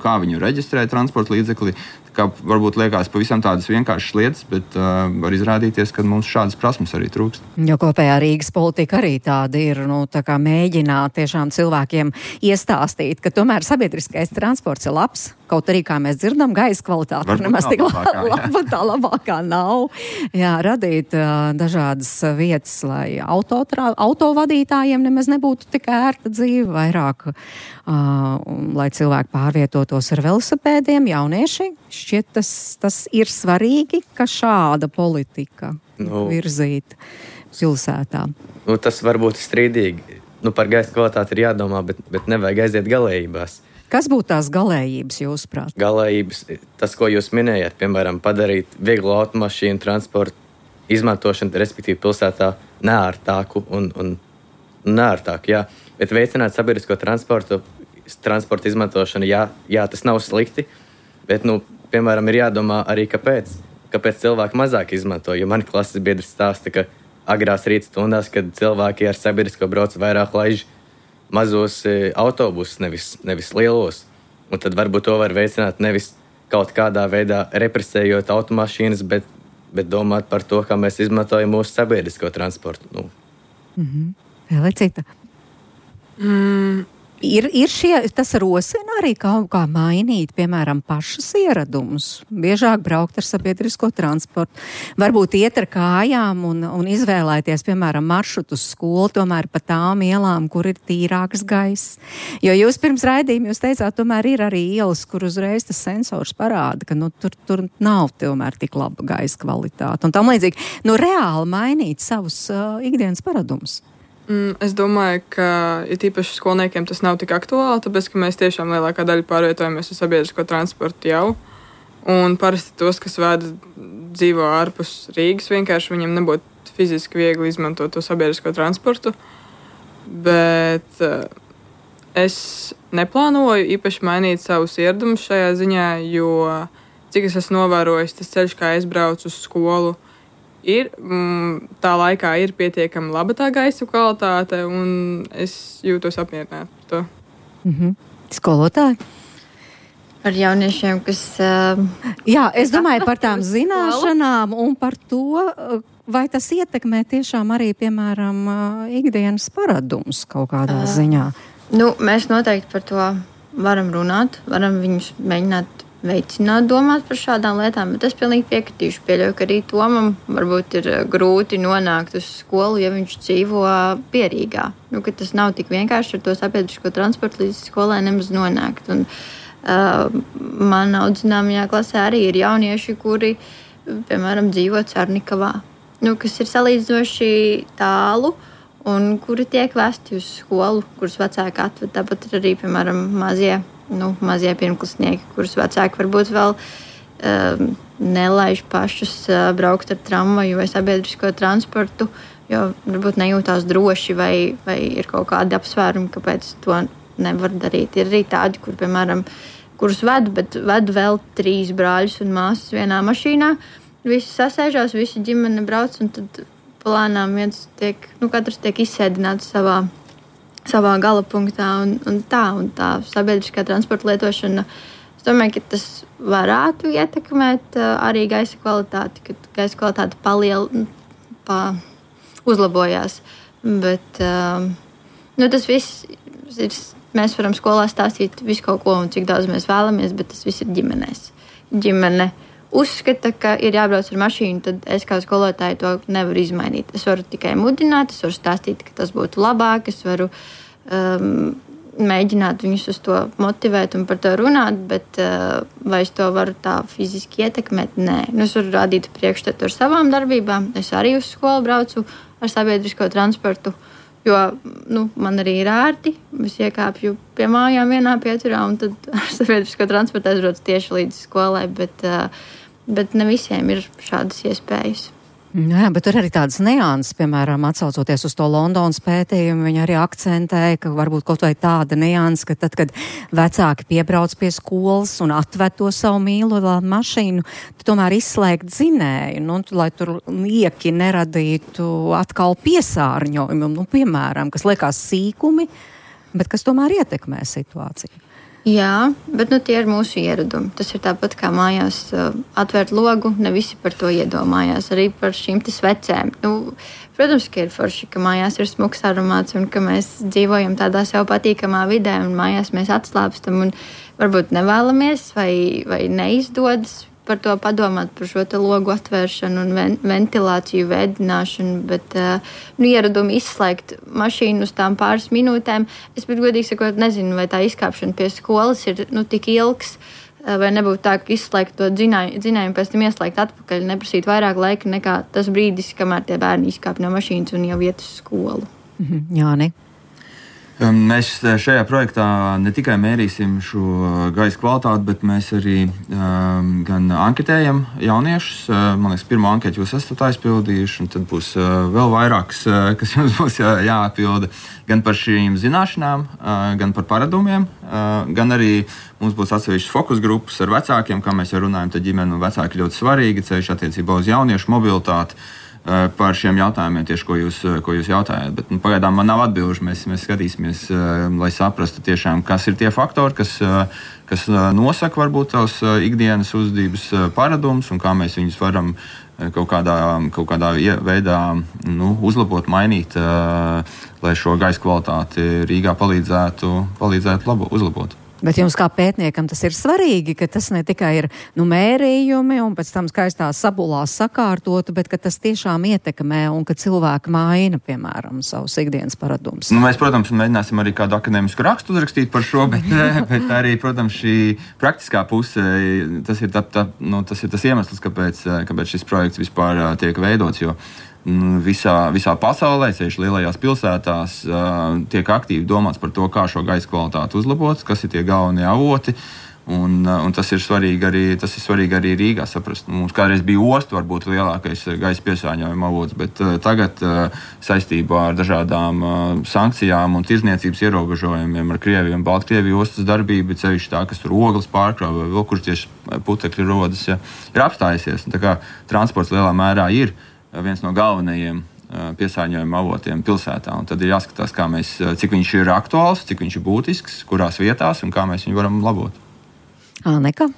kā viņu reģistrēt transporta līdzekli. Kā varbūt liekas pavisam tādas vienkāršas lietas, bet var izrādīties, ka mums šādas prasmes arī trūkst. Jo kopējā Rīgas politika arī tāda ir, tā kā mēģināt tiešām cilvēkiem iestāstīt, ka tomēr sabiedriskais transports ir labs, kaut arī, kā mēs dzirdam, gaisa kvalitāte nemaz tik laba, tā labākā nav. Jā, radīt dažādas vietas, lai autovadītājiem nemaz nebūtu tik ērta dzīve, vairāk, lai cilvēki pārvietotos ar velosipēdiem, jaunieši. Šķiet, tas ir svarīgi, ka šāda politika virzīt pilsētā. Tas varbūt ir strīdīgi. Par gaisa kvalitāti ir jādomā, bet nevajag aiziet galējībās. Kas būtu tās galējības, jūsuprāt? Galējības, tas, ko jūs minējāt, piemēram, padarīt vieglo automašīnu transportu izmantošanu, respektīvi pilsētā neārtāku un neārtāku, jā. Bet veicināt sabiedrisko transportu izmantošanu, jā, tas nav slikti, bet, piemēram, ir jādomā arī, kāpēc cilvēki mazāk izmanto, jo mani klases biedrs stāsta, ka agrās rīta stundās, kad cilvēki ar sabiedrisko brauc vairāk laiž mazos autobusus, nevis lielos. Un tad varbūt to var veicināt nevis kaut kādā veidā represējot automašīnas, bet domāt par to, kā mēs izmantojam mūsu sabiedrisko transportu. Elicita? Ir tas rosina arī kaut kā mainīt, piemēram, pašas ieradumus, biežāk braukt ar sabiedrisko transportu, varbūt iet ar kājām un izvēlēties, piemēram, maršrutu uz skolu, tomēr pa tām ielām, kur ir tīrāks gaiss. Jo jūs pirms raidījuma jūs teicāt, tomēr ir arī ielas, kur uzreiz tas sensors parāda, ka tur nav tomēr tik laba gaisa kvalitāte. Un tam līdzīgi, reāli mainīt savus ikdienas paradumus. Es domāju, ka īpaši skolniekiem tas nav tik aktuāli, tāpēc, ka mēs tiešām lielākā daļa pārvietojamies ar sabiedrisko transportu jau. Un parasti tos, kas dzīvo ārpus Rīgas, vienkārši viņiem nebūtu fiziski viegli izmantot to sabiedrisko transportu. Bet es neplānoju īpaši mainīt savus ieradumus šajā ziņā, jo, cik es esmu novērojis, tas ceļš, kā es braucu uz skolu, tā laikā ir pietiekami laba tā gaisa kvalitāte, un es jūtos apmierināta par to. Skolotāji? Par jauniešiem, kas... Jā, es domāju par tām zināšanām un par to, vai tas ietekmē tiešām arī, piemēram, ikdienas paradumus kaut kādā ziņā. Mēs noteikti par to varam runāt, varam viņus mēģināt veicināt, domāt par šādām lietām, bet es pilnīgi piekritīšu. Pieļauju, ka arī Tomam varbūt ir grūti nonākt uz skolu, ja viņš dzīvo Pierīgā. Ka tas nav tik vienkārši ar to sabiedrisko transportu līdz skolai nemaz nonākt. Un, man audzināmajā klasē arī ir jaunieši, kuri, piemēram, dzīvo Cernikavā, kas ir salīdzinoši tālu un kuri tiek vesti uz skolu, kurus vecāki atved. Tāpat ir arī, piemēram, mazie pirmklasnieki, kurus vecāki varbūt vēl nelaiž pašus braukt ar tramvaju vai sabiedrisko transportu, jo varbūt nejūtās droši vai ir kaut kādi apsvērumi, kāpēc to nevar darīt. Ir arī tādi, kur, piemēram, kurus vedu, bet vedu vēl 3 brāļus un māsas vienā mašīnā. Visi sasēžās, visi ģimene brauc, un tad plānām katrs tiek izsēdināts savā gala punktā, un tā sabiedriskā transporta lietošana. Es domāju, ka tas varētu ietekmēt arī gaisa kvalitāti, kad gaisa kvalitāte uzlabojās. Bet tas viss ir, mēs varam skolā stāstīt visu kaut ko un cik daudz mēs vēlamies, bet tas viss ir ģimenēs. Ģimene uzskata, ka ir jābrauc ar mašīnu, tad es kā skolotāja to nevaru izmainīt. Es varu tikai mudināt, es varu stāstīt, ka tas būtu labāk, es varu mēģināt viņus uz to motivēt un par to runāt, bet vai es to varu tā fiziski ietekmēt? Nē. Es varu rādīt priekšstatu ar savām darbībām. Es arī uz skolu braucu ar sabiedrisko transportu, jo man arī ir ērti. Es iekāpju pie mājām vienā pieturā un tad ar sabiedrisko transportu aizbraucu tieši līdz skolai, bet ne visiem ir šādas iespējas. Jā, bet tur arī tādas nianses, piemēram, atsaucoties uz to Londonas pētījumu, viņi arī akcentēja, ka varbūt kaut vai tāda nianse, ka tad, kad vecāki piebrauc pie skolas un atved to savu mīlo mašīnu, tad tomēr izslēgt dzinēju, lai tur lieki neradītu atkal piesārņojumu, piemēram, kas liekas sīkumi, bet kas tomēr ietekmē situāciju. Jā, bet tie ir mūsu ieradumi. Tas ir tāpat kā mājās atvērt logu, ne visi par to iedomājās, arī par šīm svecēm. Protams, ka ir forši, ka mājās ir smuks aromāts un ka mēs dzīvojam tādā sev patīkamā vidē un mājās mēs atslāpstam un varbūt nevēlamies vai neizdodas par to padomāt, par šo logu atvēršanu un ventilāciju, vēdināšanu, bet ieradumi izslēgt mašīnu uz tām pāris minūtēm. Es pat godīgi sakot, nezinu, vai tā izkāpšana pie skolas ir tik ilgs, vai nebūtu tā, ka izslēgt to dzinējumu, pēc tam ieslēgt atpakaļ, neprasīt vairāk laika nekā tas brīdis, kamēr tie bērni izkāp no mašīnas un jau iet uz skolu. Jāni. Mēs šajā projektā ne tikai mērīsim šo gaisa kvalitāti, bet mēs arī gan anketējam jauniešus. Man liekas, pirmo anketu jūs esat aizpildījuši, un tad būs vēl vairākas, kas jums būs jāatpilda. Gan par šīm zināšanām, gan par paradumiem, gan arī mums būs atsevišķas fokus grupas ar vecākiem, kā mēs jau runājam, tad ģimene un vecāki ļoti svarīgi, ceļš attiecībā uz jauniešu mobilitāti. Par šiem jautājumiem, tieši ko jūs jautājāt. Bet pagaidām man nav atbilžu. Mēs skatīsimies, lai saprastu tiešām, kas ir tie faktori, kas nosaka varbūt tavs ikdienas uzvedības paradumus un kā mēs viņus varam kaut kādā veidā uzlabot, mainīt, lai šo gaisa kvalitāti Rīgā palīdzētu uzlabot. Bet jums kā pētniekam tas ir svarīgi, ka tas ne tikai ir mērījumi un pēc tam skaistā sabulās sakārtotu, bet ka tas tiešām ietekmē un ka cilvēki maina, piemēram, savus ikdienas paradumus. Mēs, protams, mēģināsim arī kādu akadēmisku rakstu uzrakstīt par šo, bet arī, protams, šī praktiskā puse, tas ir tas iemesls, kāpēc šis projekts vispār tiek veidots, jo visā pasaulē, ceļš lielajās pilsētās, tiek aktīvi domāts par to, kā šo gaisa kvalitāti uzlabot, kas ir tie galvenie avoti. Un tas ir svarīgi arī Rīgā saprast. Mums kādreiz bija osta, varbūt lielākais gaisa piesārņojuma avots, bet tagad saistībā ar dažādām sankcijām un tirdzniecības ierobežojumiem ar Krieviju un Baltkrieviju ostas darbība, ceļš tā, kas tur ogles pārkrauj vai vēl kur tieši putekļi rodas, ir apstājusies. Tā kā transports lielā mērā ir viens no galvenajiem piesārņojuma avotiem pilsētā. Un tad ir jāskatās, cik viņš ir aktuāls, cik viņš ir būtisks, kurās vietās un kā mēs viņu varam labot. Āneka?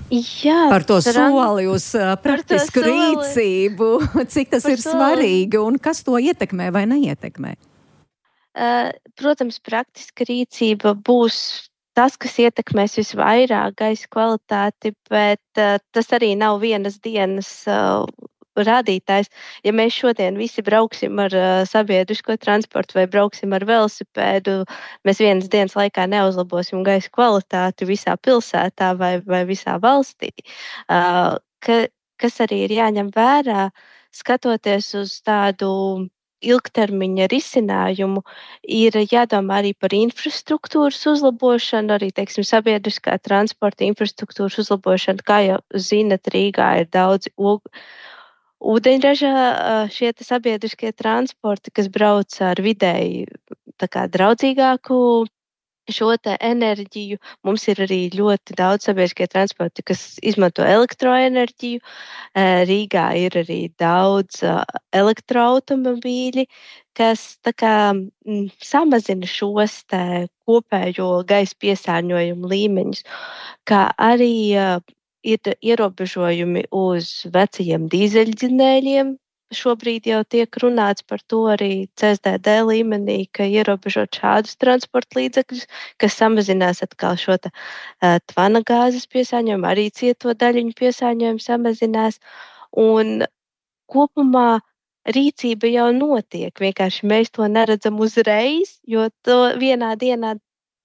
Jā, par to soli uz praktisku rīcību, cik tas ir svarīgi un kas to ietekmē vai neietekmē? Protams, praktiska rīcība būs tas, kas ietekmēs visvairāk gaisa kvalitāti, bet tas arī nav vienas dienas rādītājs. Ja mēs šodien visi brauksim ar sabiedrisko transportu vai brauksim ar velosipēdu, mēs vienas dienas laikā neuzlabosim gaisa kvalitāti visā pilsētā vai visā valstī. Kas arī ir jāņem vērā, skatoties uz tādu ilgtermiņa risinājumu, ir jādomā arī par infrastruktūras uzlabošanu, arī, teiksim, sabiedriskā transporta infrastruktūras uzlabošanu. Kā jau zinat, Rīgā ir daudz ūdeņraža šie sabiedriskie transporti, kas brauc ar vidēji tā kā draudzīgāku šo te enerģiju. Mums ir arī ļoti daudz sabiedriskie transporti, kas izmanto elektroenerģiju. Rīgā ir arī daudz elektroautomobīļi, kas tā kā samazina šos te kopējo gaisa piesārņojumu līmeņus, kā arī ir ierobežojumi uz vecajiem dīzeļdzinējiem. Šobrīd jau tiek runāts par to arī CSDD līmenī, ka ierobežot šādus transporta līdzekļus, kas samazinās atkal šo tvana gāzes piesārņojumu, arī cieto daļiņu piesārņojumu samazinās. Un kopumā rīcība jau notiek, vienkārši mēs to neredzam uzreiz, jo to vienā dienā,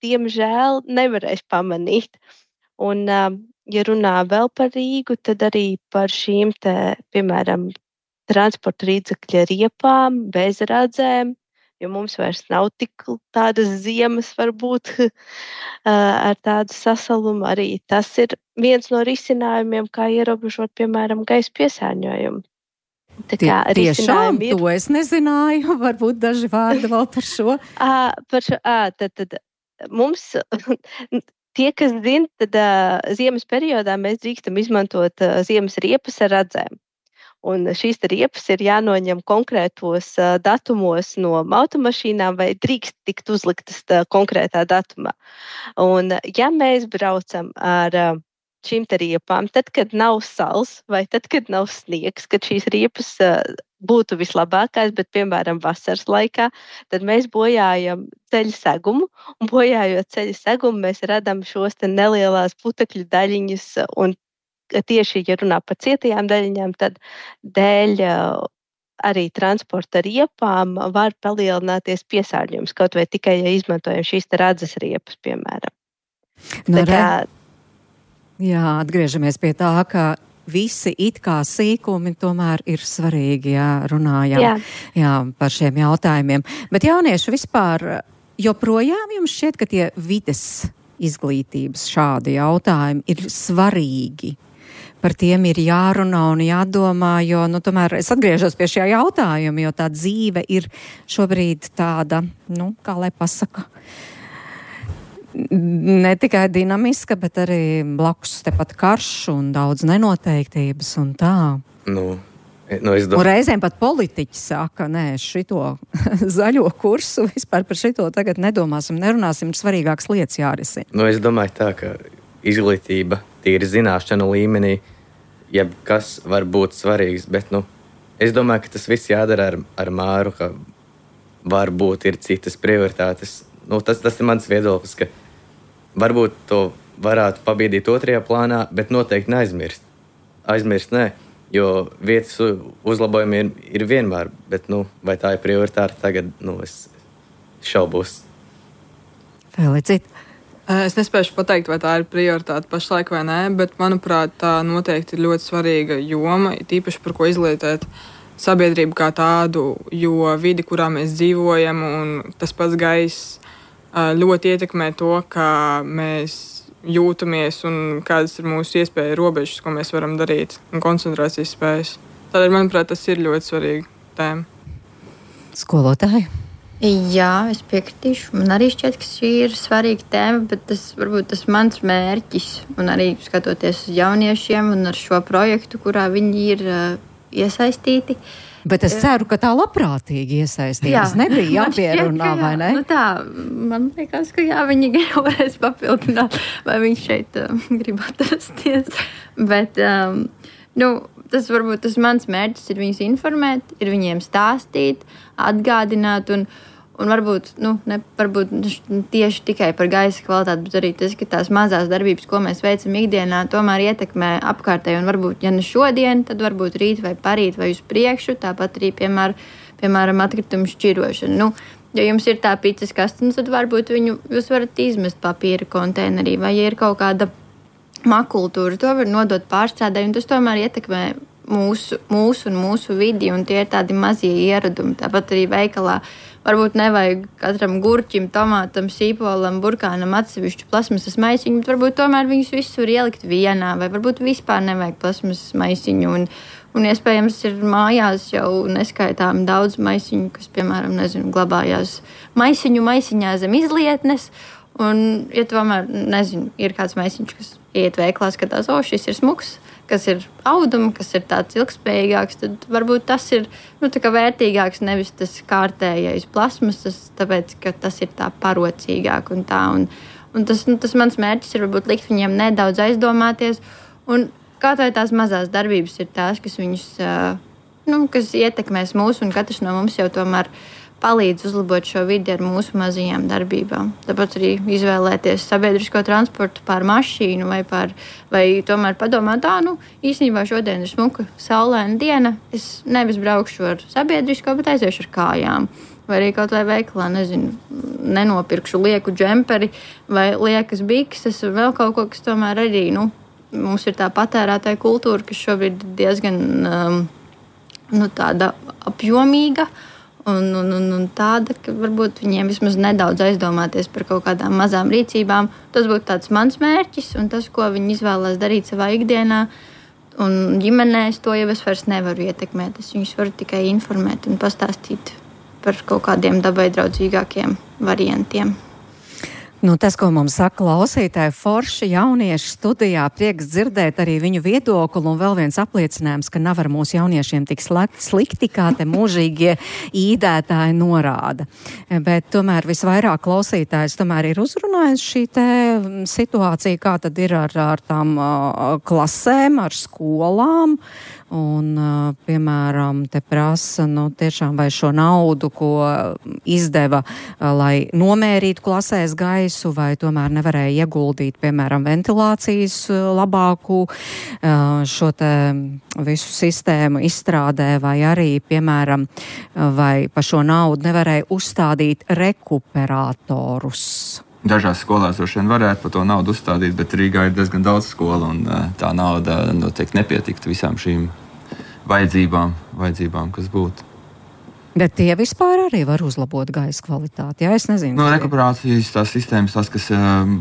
diemžēl, nevarēs pamanīt. Un, ja runā vēl par Rīgu, tad arī par šīm te, piemēram, transporta līdzekļa riepām, bez radzēm, jo mums vairs nav tik tādas ziemas varbūt ar tādu sasalumu. Arī tas ir viens no risinājumiem, kā ierobežot, piemēram, gaisa piesārņojumu. Tiešām, to es nezināju. Varbūt daži vārdi vēl par šo. Tad mums... Tie, kas zina, tad ziemas periodā mēs drīkstam izmantot ziemas riepas ar radzēm. Un šīs riepas ir jānoņem konkrētos datumos no automašīnām vai drīkst tikt uzliktas konkrētā datumā. Un ja mēs braucam ar šīm riepām, tad, kad nav sals vai tad, kad nav sniegs, kad šīs riepas būtu vislabākās, bet, piemēram, vasaras laikā, tad mēs bojājam ceļa segumu, un bojājot ceļa segumu, mēs radam šos te nelielās putekļu daļiņas, un tieši, ja runā par cietajām daļiņām, tad dēļ arī transporta riepām var palielināties piesārņojums, kaut vai tikai, ja izmantojam šīs radzes riepas, piemēram. Jā, atgriežamies pie tā, ka visi it kā sīkumi tomēr ir svarīgi, ja runājam par šiem jautājumiem. Bet jaunieši vispār joprojām jums šķiet, ka tie vides izglītības šādi jautājumi ir svarīgi? Par tiem ir jārunā un jādomā, jo, tomēr es atgriežos pie šajā jautājuma, jo tā dzīve ir šobrīd tāda, kā lai pasaka, ne tikai dinamiska, bet arī blakus tepat karš un daudz nenoteiktības un tā. Es domāju. Un reizēm pat politiķi saka, šito zaļo kursu, vispār par šito tagad nedomāsim, nerunāsim, svarīgākas lietas jārisina. Es domāju tā, ka izglītība tīri zināšanu līmenī, jebkas var būt svarīgs, bet, es domāju, ka tas viss jādara ar Māru, ka varbūt ir citas prioritātes. Tas ir mans viedoklis, ka varbūt to varētu pabīdīt otrajā plānā, bet noteikti neaizmirst. Aizmirst nē, jo vietas uzlabojumi ir vienmēr, bet, vai tā ir prioritāte tagad, es šaubos. Felicit. Es nespēšu pateikt, vai tā ir prioritāte pašlaik vai nē, bet, manuprāt, tā noteikti ir ļoti svarīga joma, tīpaši par ko izglītēt sabiedrību kā tādu, jo vidi, kurā mēs dzīvojam, un tas pats gaiss ļoti ietekmē to, kā mēs jūtamies un kādas ir mūsu iespēja robežas, ko mēs varam darīt, un koncentrācijas spējas. Tādēļ, manuprāt, tas ir ļoti svarīga tēma. Skolotāji? Jā, es piekritīšu. Man arī šķiet, ka šī ir svarīga tēma, bet tas varbūt tas mans mērķis, un arī skatoties uz jauniešiem un ar šo projektu, kurā viņi ir iesaistīti. Bet es ceru, ka tā labprātīgi iesaistījās. Nebija jāpierunā, vai ne? Man liekas, ka viņi jau varēs papildināt, vai viņš šeit grib atrasties. Bet, tas varbūt tas mans mērķis ir viņus informēt, ir viņiem stāstīt, atgādināt un varbūt, varbūt tieši tikai par gaisa kvalitāti, bet arī tas, ka tās mazās darbības, ko mēs veicam ikdienā, tomēr ietekmē apkārtēju un varbūt, ja ne šodien, tad varbūt rīt vai parīt vai uz priekšu, tāpat arī, piemēram, atkritumu šķirošanu. Ja jums ir tā picas kaste, tad varbūt jūs varat izmest papīra konteinerī, vai ja ir kaut kāda makultūra, to var nodot pārstrādē, un tas tomēr ietekmē mūsu un mūsu vidi, un tie ir tādi mazie ieradumi. Tāpat arī veikalā varbūt nevajag katram gurķim, tomātam, sīpolam, burkānam atsevišķu plasmasas maisiņu, bet varbūt tomēr viņus visus var ielikt vienā, vai varbūt vispār nevajag plasmasas maisiņu, un iespējams ir mājās jau neskaitām daudz maisiņu, kas, piemēram, glabājās maisiņā zem izlietnes, Un, ja tomēr, nezinu, ir kāds meisiņš, kas iet veiklā, skatās, šis ir smuks, kas ir auduma, kas ir tāds ilgspējīgāks, tad varbūt tas ir tā kā vērtīgāks, nevis tas kārtējais plasmasas, tāpēc, ka tas ir tā parocīgāk un tā. Un tas mans mērķis ir varbūt likt viņiem nedaudz aizdomāties. Un kaut vai tās mazās darbības ir tās, kas viņus, kas ietekmēs mūs, un katrs no mums jau tomēr palīdz uzlabot šo vidi ar mūsu mazajām darbībām. Tāpat arī izvēlēties sabiedrisko transportu pār mašīnu vai tomēr padomāt, īstenībā šodien ir smuka saulaina diena, es nevis braukšu ar sabiedrisko, bet aiziešu ar kājām. Vai arī kaut vai veikalā, nenopirkšu lieku džemperi vai liekas bikses un vēl kaut ko, kas tomēr arī, mums ir tā patērētāja kultūra, kas šobrīd ir diezgan tāda apjomīga. Un tāda, ka varbūt viņiem vismaz nedaudz aizdomāties par kaut kādām mazām rīcībām. Tas būtu tāds mans mērķis, un tas, ko viņi izvēlās darīt savā ikdienā un ģimenēs, to jau es vairs nevaru ietekmēt. Es viņus varu tikai informēt un pastāstīt par kaut kādiem dabai draudzīgākiem variantiem. Tas, ko mums saka klausītāji, forši jaunieši studijā, prieks dzirdēt arī viņu viedokli, un vēl viens apliecinājums, ka nav ar mūsu jauniešiem tik slikti, kā te mūžīgie īdētāji norāda. Bet tomēr visvairāk klausītājs tomēr ir uzrunājis šī te situācija, kā tad ir ar tām klasēm, ar skolām. Un, piemēram, te prasa, tiešām vai šo naudu, ko izdeva, lai nomērītu klasēs gaisu, vai tomēr nevarēja ieguldīt, piemēram, ventilācijas labāku šo te visu sistēmu izstrādē, vai arī, piemēram, vai pa šo naudu nevarēja uzstādīt rekuperatorus. Dažās skolās droši vien varētu par to naudu uzstādīt, bet Rīgā ir diezgan daudz skolu, un tā nauda noteikti nepietiktu visām šīm vajadzībām, kas būtu. Bet tie vispār arī var uzlabot gaisa kvalitāti, es nezinu. Rekuperācijas tās sistēmas, tās, kas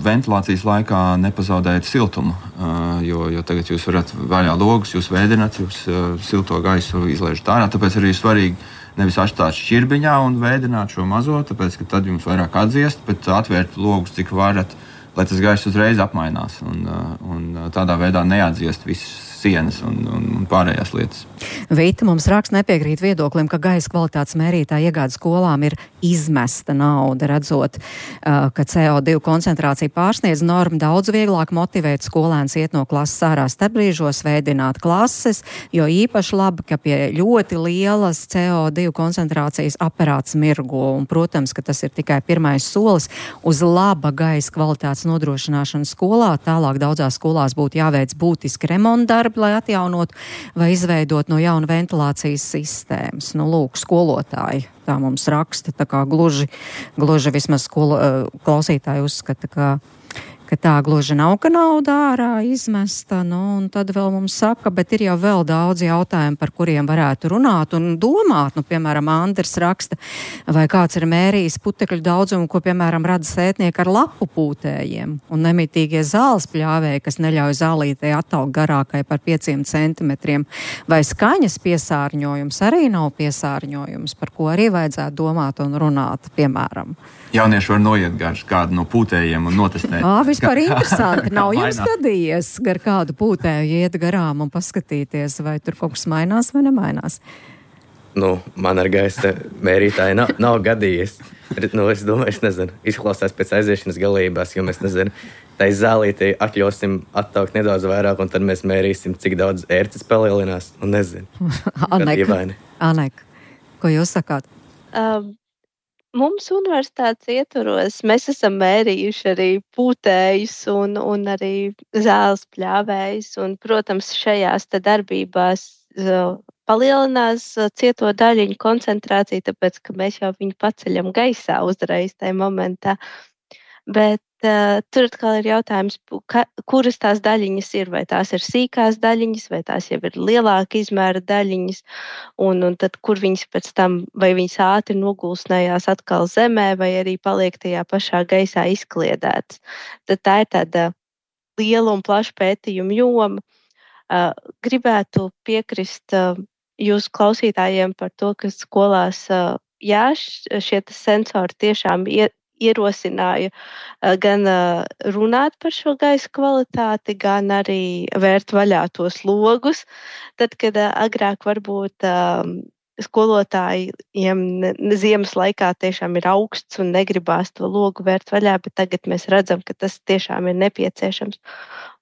ventilācijas laikā nepazaudējat siltumu, jo tagad jūs varat vaļā logus, jūs vēdināt, jūs silto gaisu izlaižat ārā, tāpēc arī ir svarīgi nevis atstāt šķirbiņā un vēdināt šo mazo, tāpēc, ka tad jums vairāk atdziest, bet atvērt logus, cik varat, lai tas gaiss uzreiz apmainās un tādā veidā neatdziest visas sienas un pārējās lietas. Vita mums raksta nepiekrīt viedoklim, ka gaisa kvalitātes mērītāja iegāde skolām ir izmesta nauda, redzot, ka CO2 koncentrācija pārsniedz normu, daudz vieglāk motivēt skolēns iet no klases ārā starpbrīžos, veidināt klases, jo īpaši labi, ka pie ļoti lielas CO2 koncentrācijas aparāts mirgo, un, protams, ka tas ir tikai pirmais solis uz laba gaisa kvalitātes nodrošināšanu skolā. Tālāk daudzās skolās būtu jāveic būtiski remontdarbi, lai atjaunotu vai izveidot no jauna ventilācijas sistēmas. Lūk, skolotāji tā mums raksta, tā kā gluži vismaz klausītāji uzskata, ka tā gluži nav, ka nauda ārā izmesta, un tad vēl mums saka, bet ir jau vēl daudz jautājumu, par kuriem varētu runāt un domāt. Piemēram, Andris raksta, vai kāds ir mērījis putekļu daudzumu, ko, piemēram, rada sētnieki ar lapu pūtējiem, un nemitīgie zāles pļāvēji, kas neļauj zālītei attaugt garākai par 5 centimetriem, vai skaņas piesārņojums arī nav piesārņojums, par ko arī vajadzētu domāt un runāt, piemēram. Jaunieši var noiet gar kādu no pūtējiem un notestēt. Vispār interesanti. Nav jums gadījies gar kādu pūtēju iet garām un paskatīties, vai tur kaut kas mainās vai nemainās? Man ar gaisa mērītāju nav gadījies. Es domāju, es nezinu, izklausās pēc aiziešanas galībās, jo mēs nezinu, tai zālītei atļausim attaukt nedaudz vairāk, un tad mēs mērīsim, cik daudz ērces palielinās, un nezinu. Anek, ko jūs sakāt? Mums universitātes ietvaros mēs esam mērījuši arī pūtējus un arī zāles pļāvējus. Un, protams, šajās darbībās palielinās cieto daļiņu koncentrāciju, tāpēc, ka mēs jau viņu paceļam gaisā uzreiz tajā momentā. Bet tur atkal ir jautājums, kuras tās daļiņas ir, vai tās ir sīkās daļiņas, vai tās jau ir lielāka izmēra daļiņas, un tad kur viņas pēc tam, vai viņas ātri nogulsnējās atkal zemē, vai arī paliek tajā pašā gaisā izkliedētas. Tad tā ir tāda liela un plaša pētījuma joma. Gribētu piekrist jūsu klausītājiem par to, ka skolās, šie sensori tiešām ierosināju gan runāt par šo gaisa kvalitāti, gan arī vērt vaļā tos logus. Tad, kad agrāk varbūt skolotājiem ziemas laikā tiešām ir augsts un negribās to logu vērt vaļā, bet tagad mēs redzam, ka tas tiešām ir nepieciešams.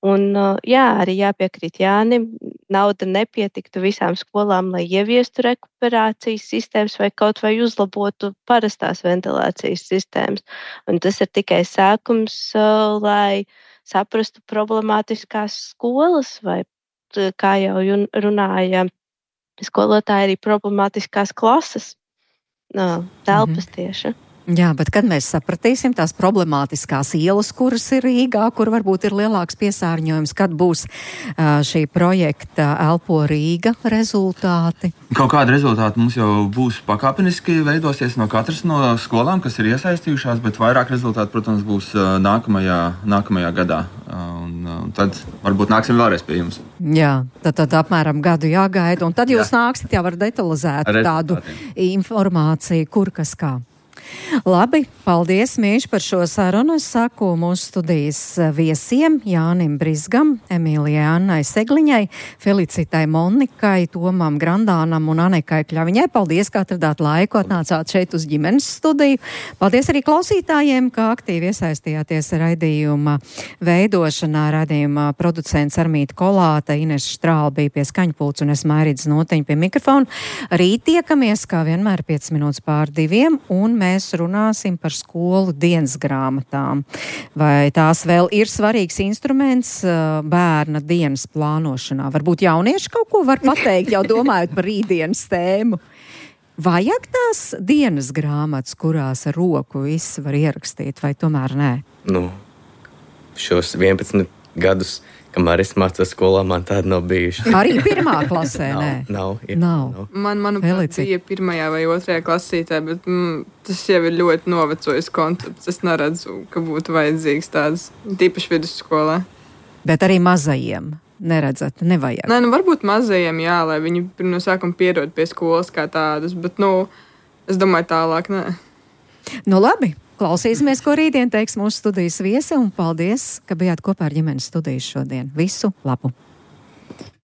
Un arī jāpiekrīt Jānim, nauda nepietiktu visām skolām, lai ieviestu rekuperācijas sistēmas vai kaut vai uzlabotu parastās ventilācijas sistēmas. Un tas ir tikai sākums, lai saprastu problemātiskās skolas vai, kā jau runāja skolotāji, arī problemātiskās klases telpas tieši. Jā, bet kad mēs sapratīsim tās problemātiskās ielas, kuras ir Rīgā, kur varbūt ir lielāks piesārņojums, kad būs šī projekta Elpo Rīga rezultāti? Kaut kāda rezultāta mums jau būs pakāpeniski veidosies no katras no skolām, kas ir iesaistījušās, bet vairāk rezultāti, protams, būs nākamajā gadā. Un tad varbūt nāksim vēlreiz pie jums. Jā, tad apmēram gadu jāgaida, un tad jūs nāksiet jau ar detalizētu tādu informāciju, kur kas kā. Labi, paldies, Mīš, par šo sarunu. Es saku mūsu studijas viesiem Jānim Brizgam, Emīlijai Annai Segliņai, Felicitai Monikai, Tomam Grandānam un Anekai Kļaviņai. Paldies, ka atradāt laiku, atnācāt šeit uz ģimenes studiju. Paldies arī klausītājiem, ka aktīvi iesaistījāties raidījuma veidošanā. Raidījuma producents Armīta Kolāte, Ines Štrāla bija pie skaņpults un es Mairidz Notiņa pie mikrofona. Rīt tiekamies, kā vienmēr, 5 minūtes pār 2, un mēs runāsim par skolu dienas grāmatām. Vai tās vēl ir svarīgs instruments bērna dienas plānošanā? Varbūt jaunieši kaut ko var pateikt, jau domājot par rītdienas tēmu. Vajag tās dienas grāmatas, kurās ar roku viss var ierakstīt, vai tomēr nē? Šos 11 gadus, kamēr es mācos skolā, man tāda nav bijuši. Arī pirmā klasē, nē? Nav. Manuprāt, bija pirmajā vai otrajā klasītē, bet tas jau ir ļoti novecojis koncepts. Es neredzu, ka būtu vajadzīgs tāds, tīpaši vidusskolā. Bet arī mazajiem neredzat, nevajag? Nē, varbūt mazajiem, jā, lai viņi no sākuma pierod pie skolas kā tādas, bet, es domāju tālāk, nē. Labi. Klausīsimies, ko rītdien teiks mūsu studijas viesi, un paldies, ka bijāt kopā ar ģimenes studiju šodien. Visu labu!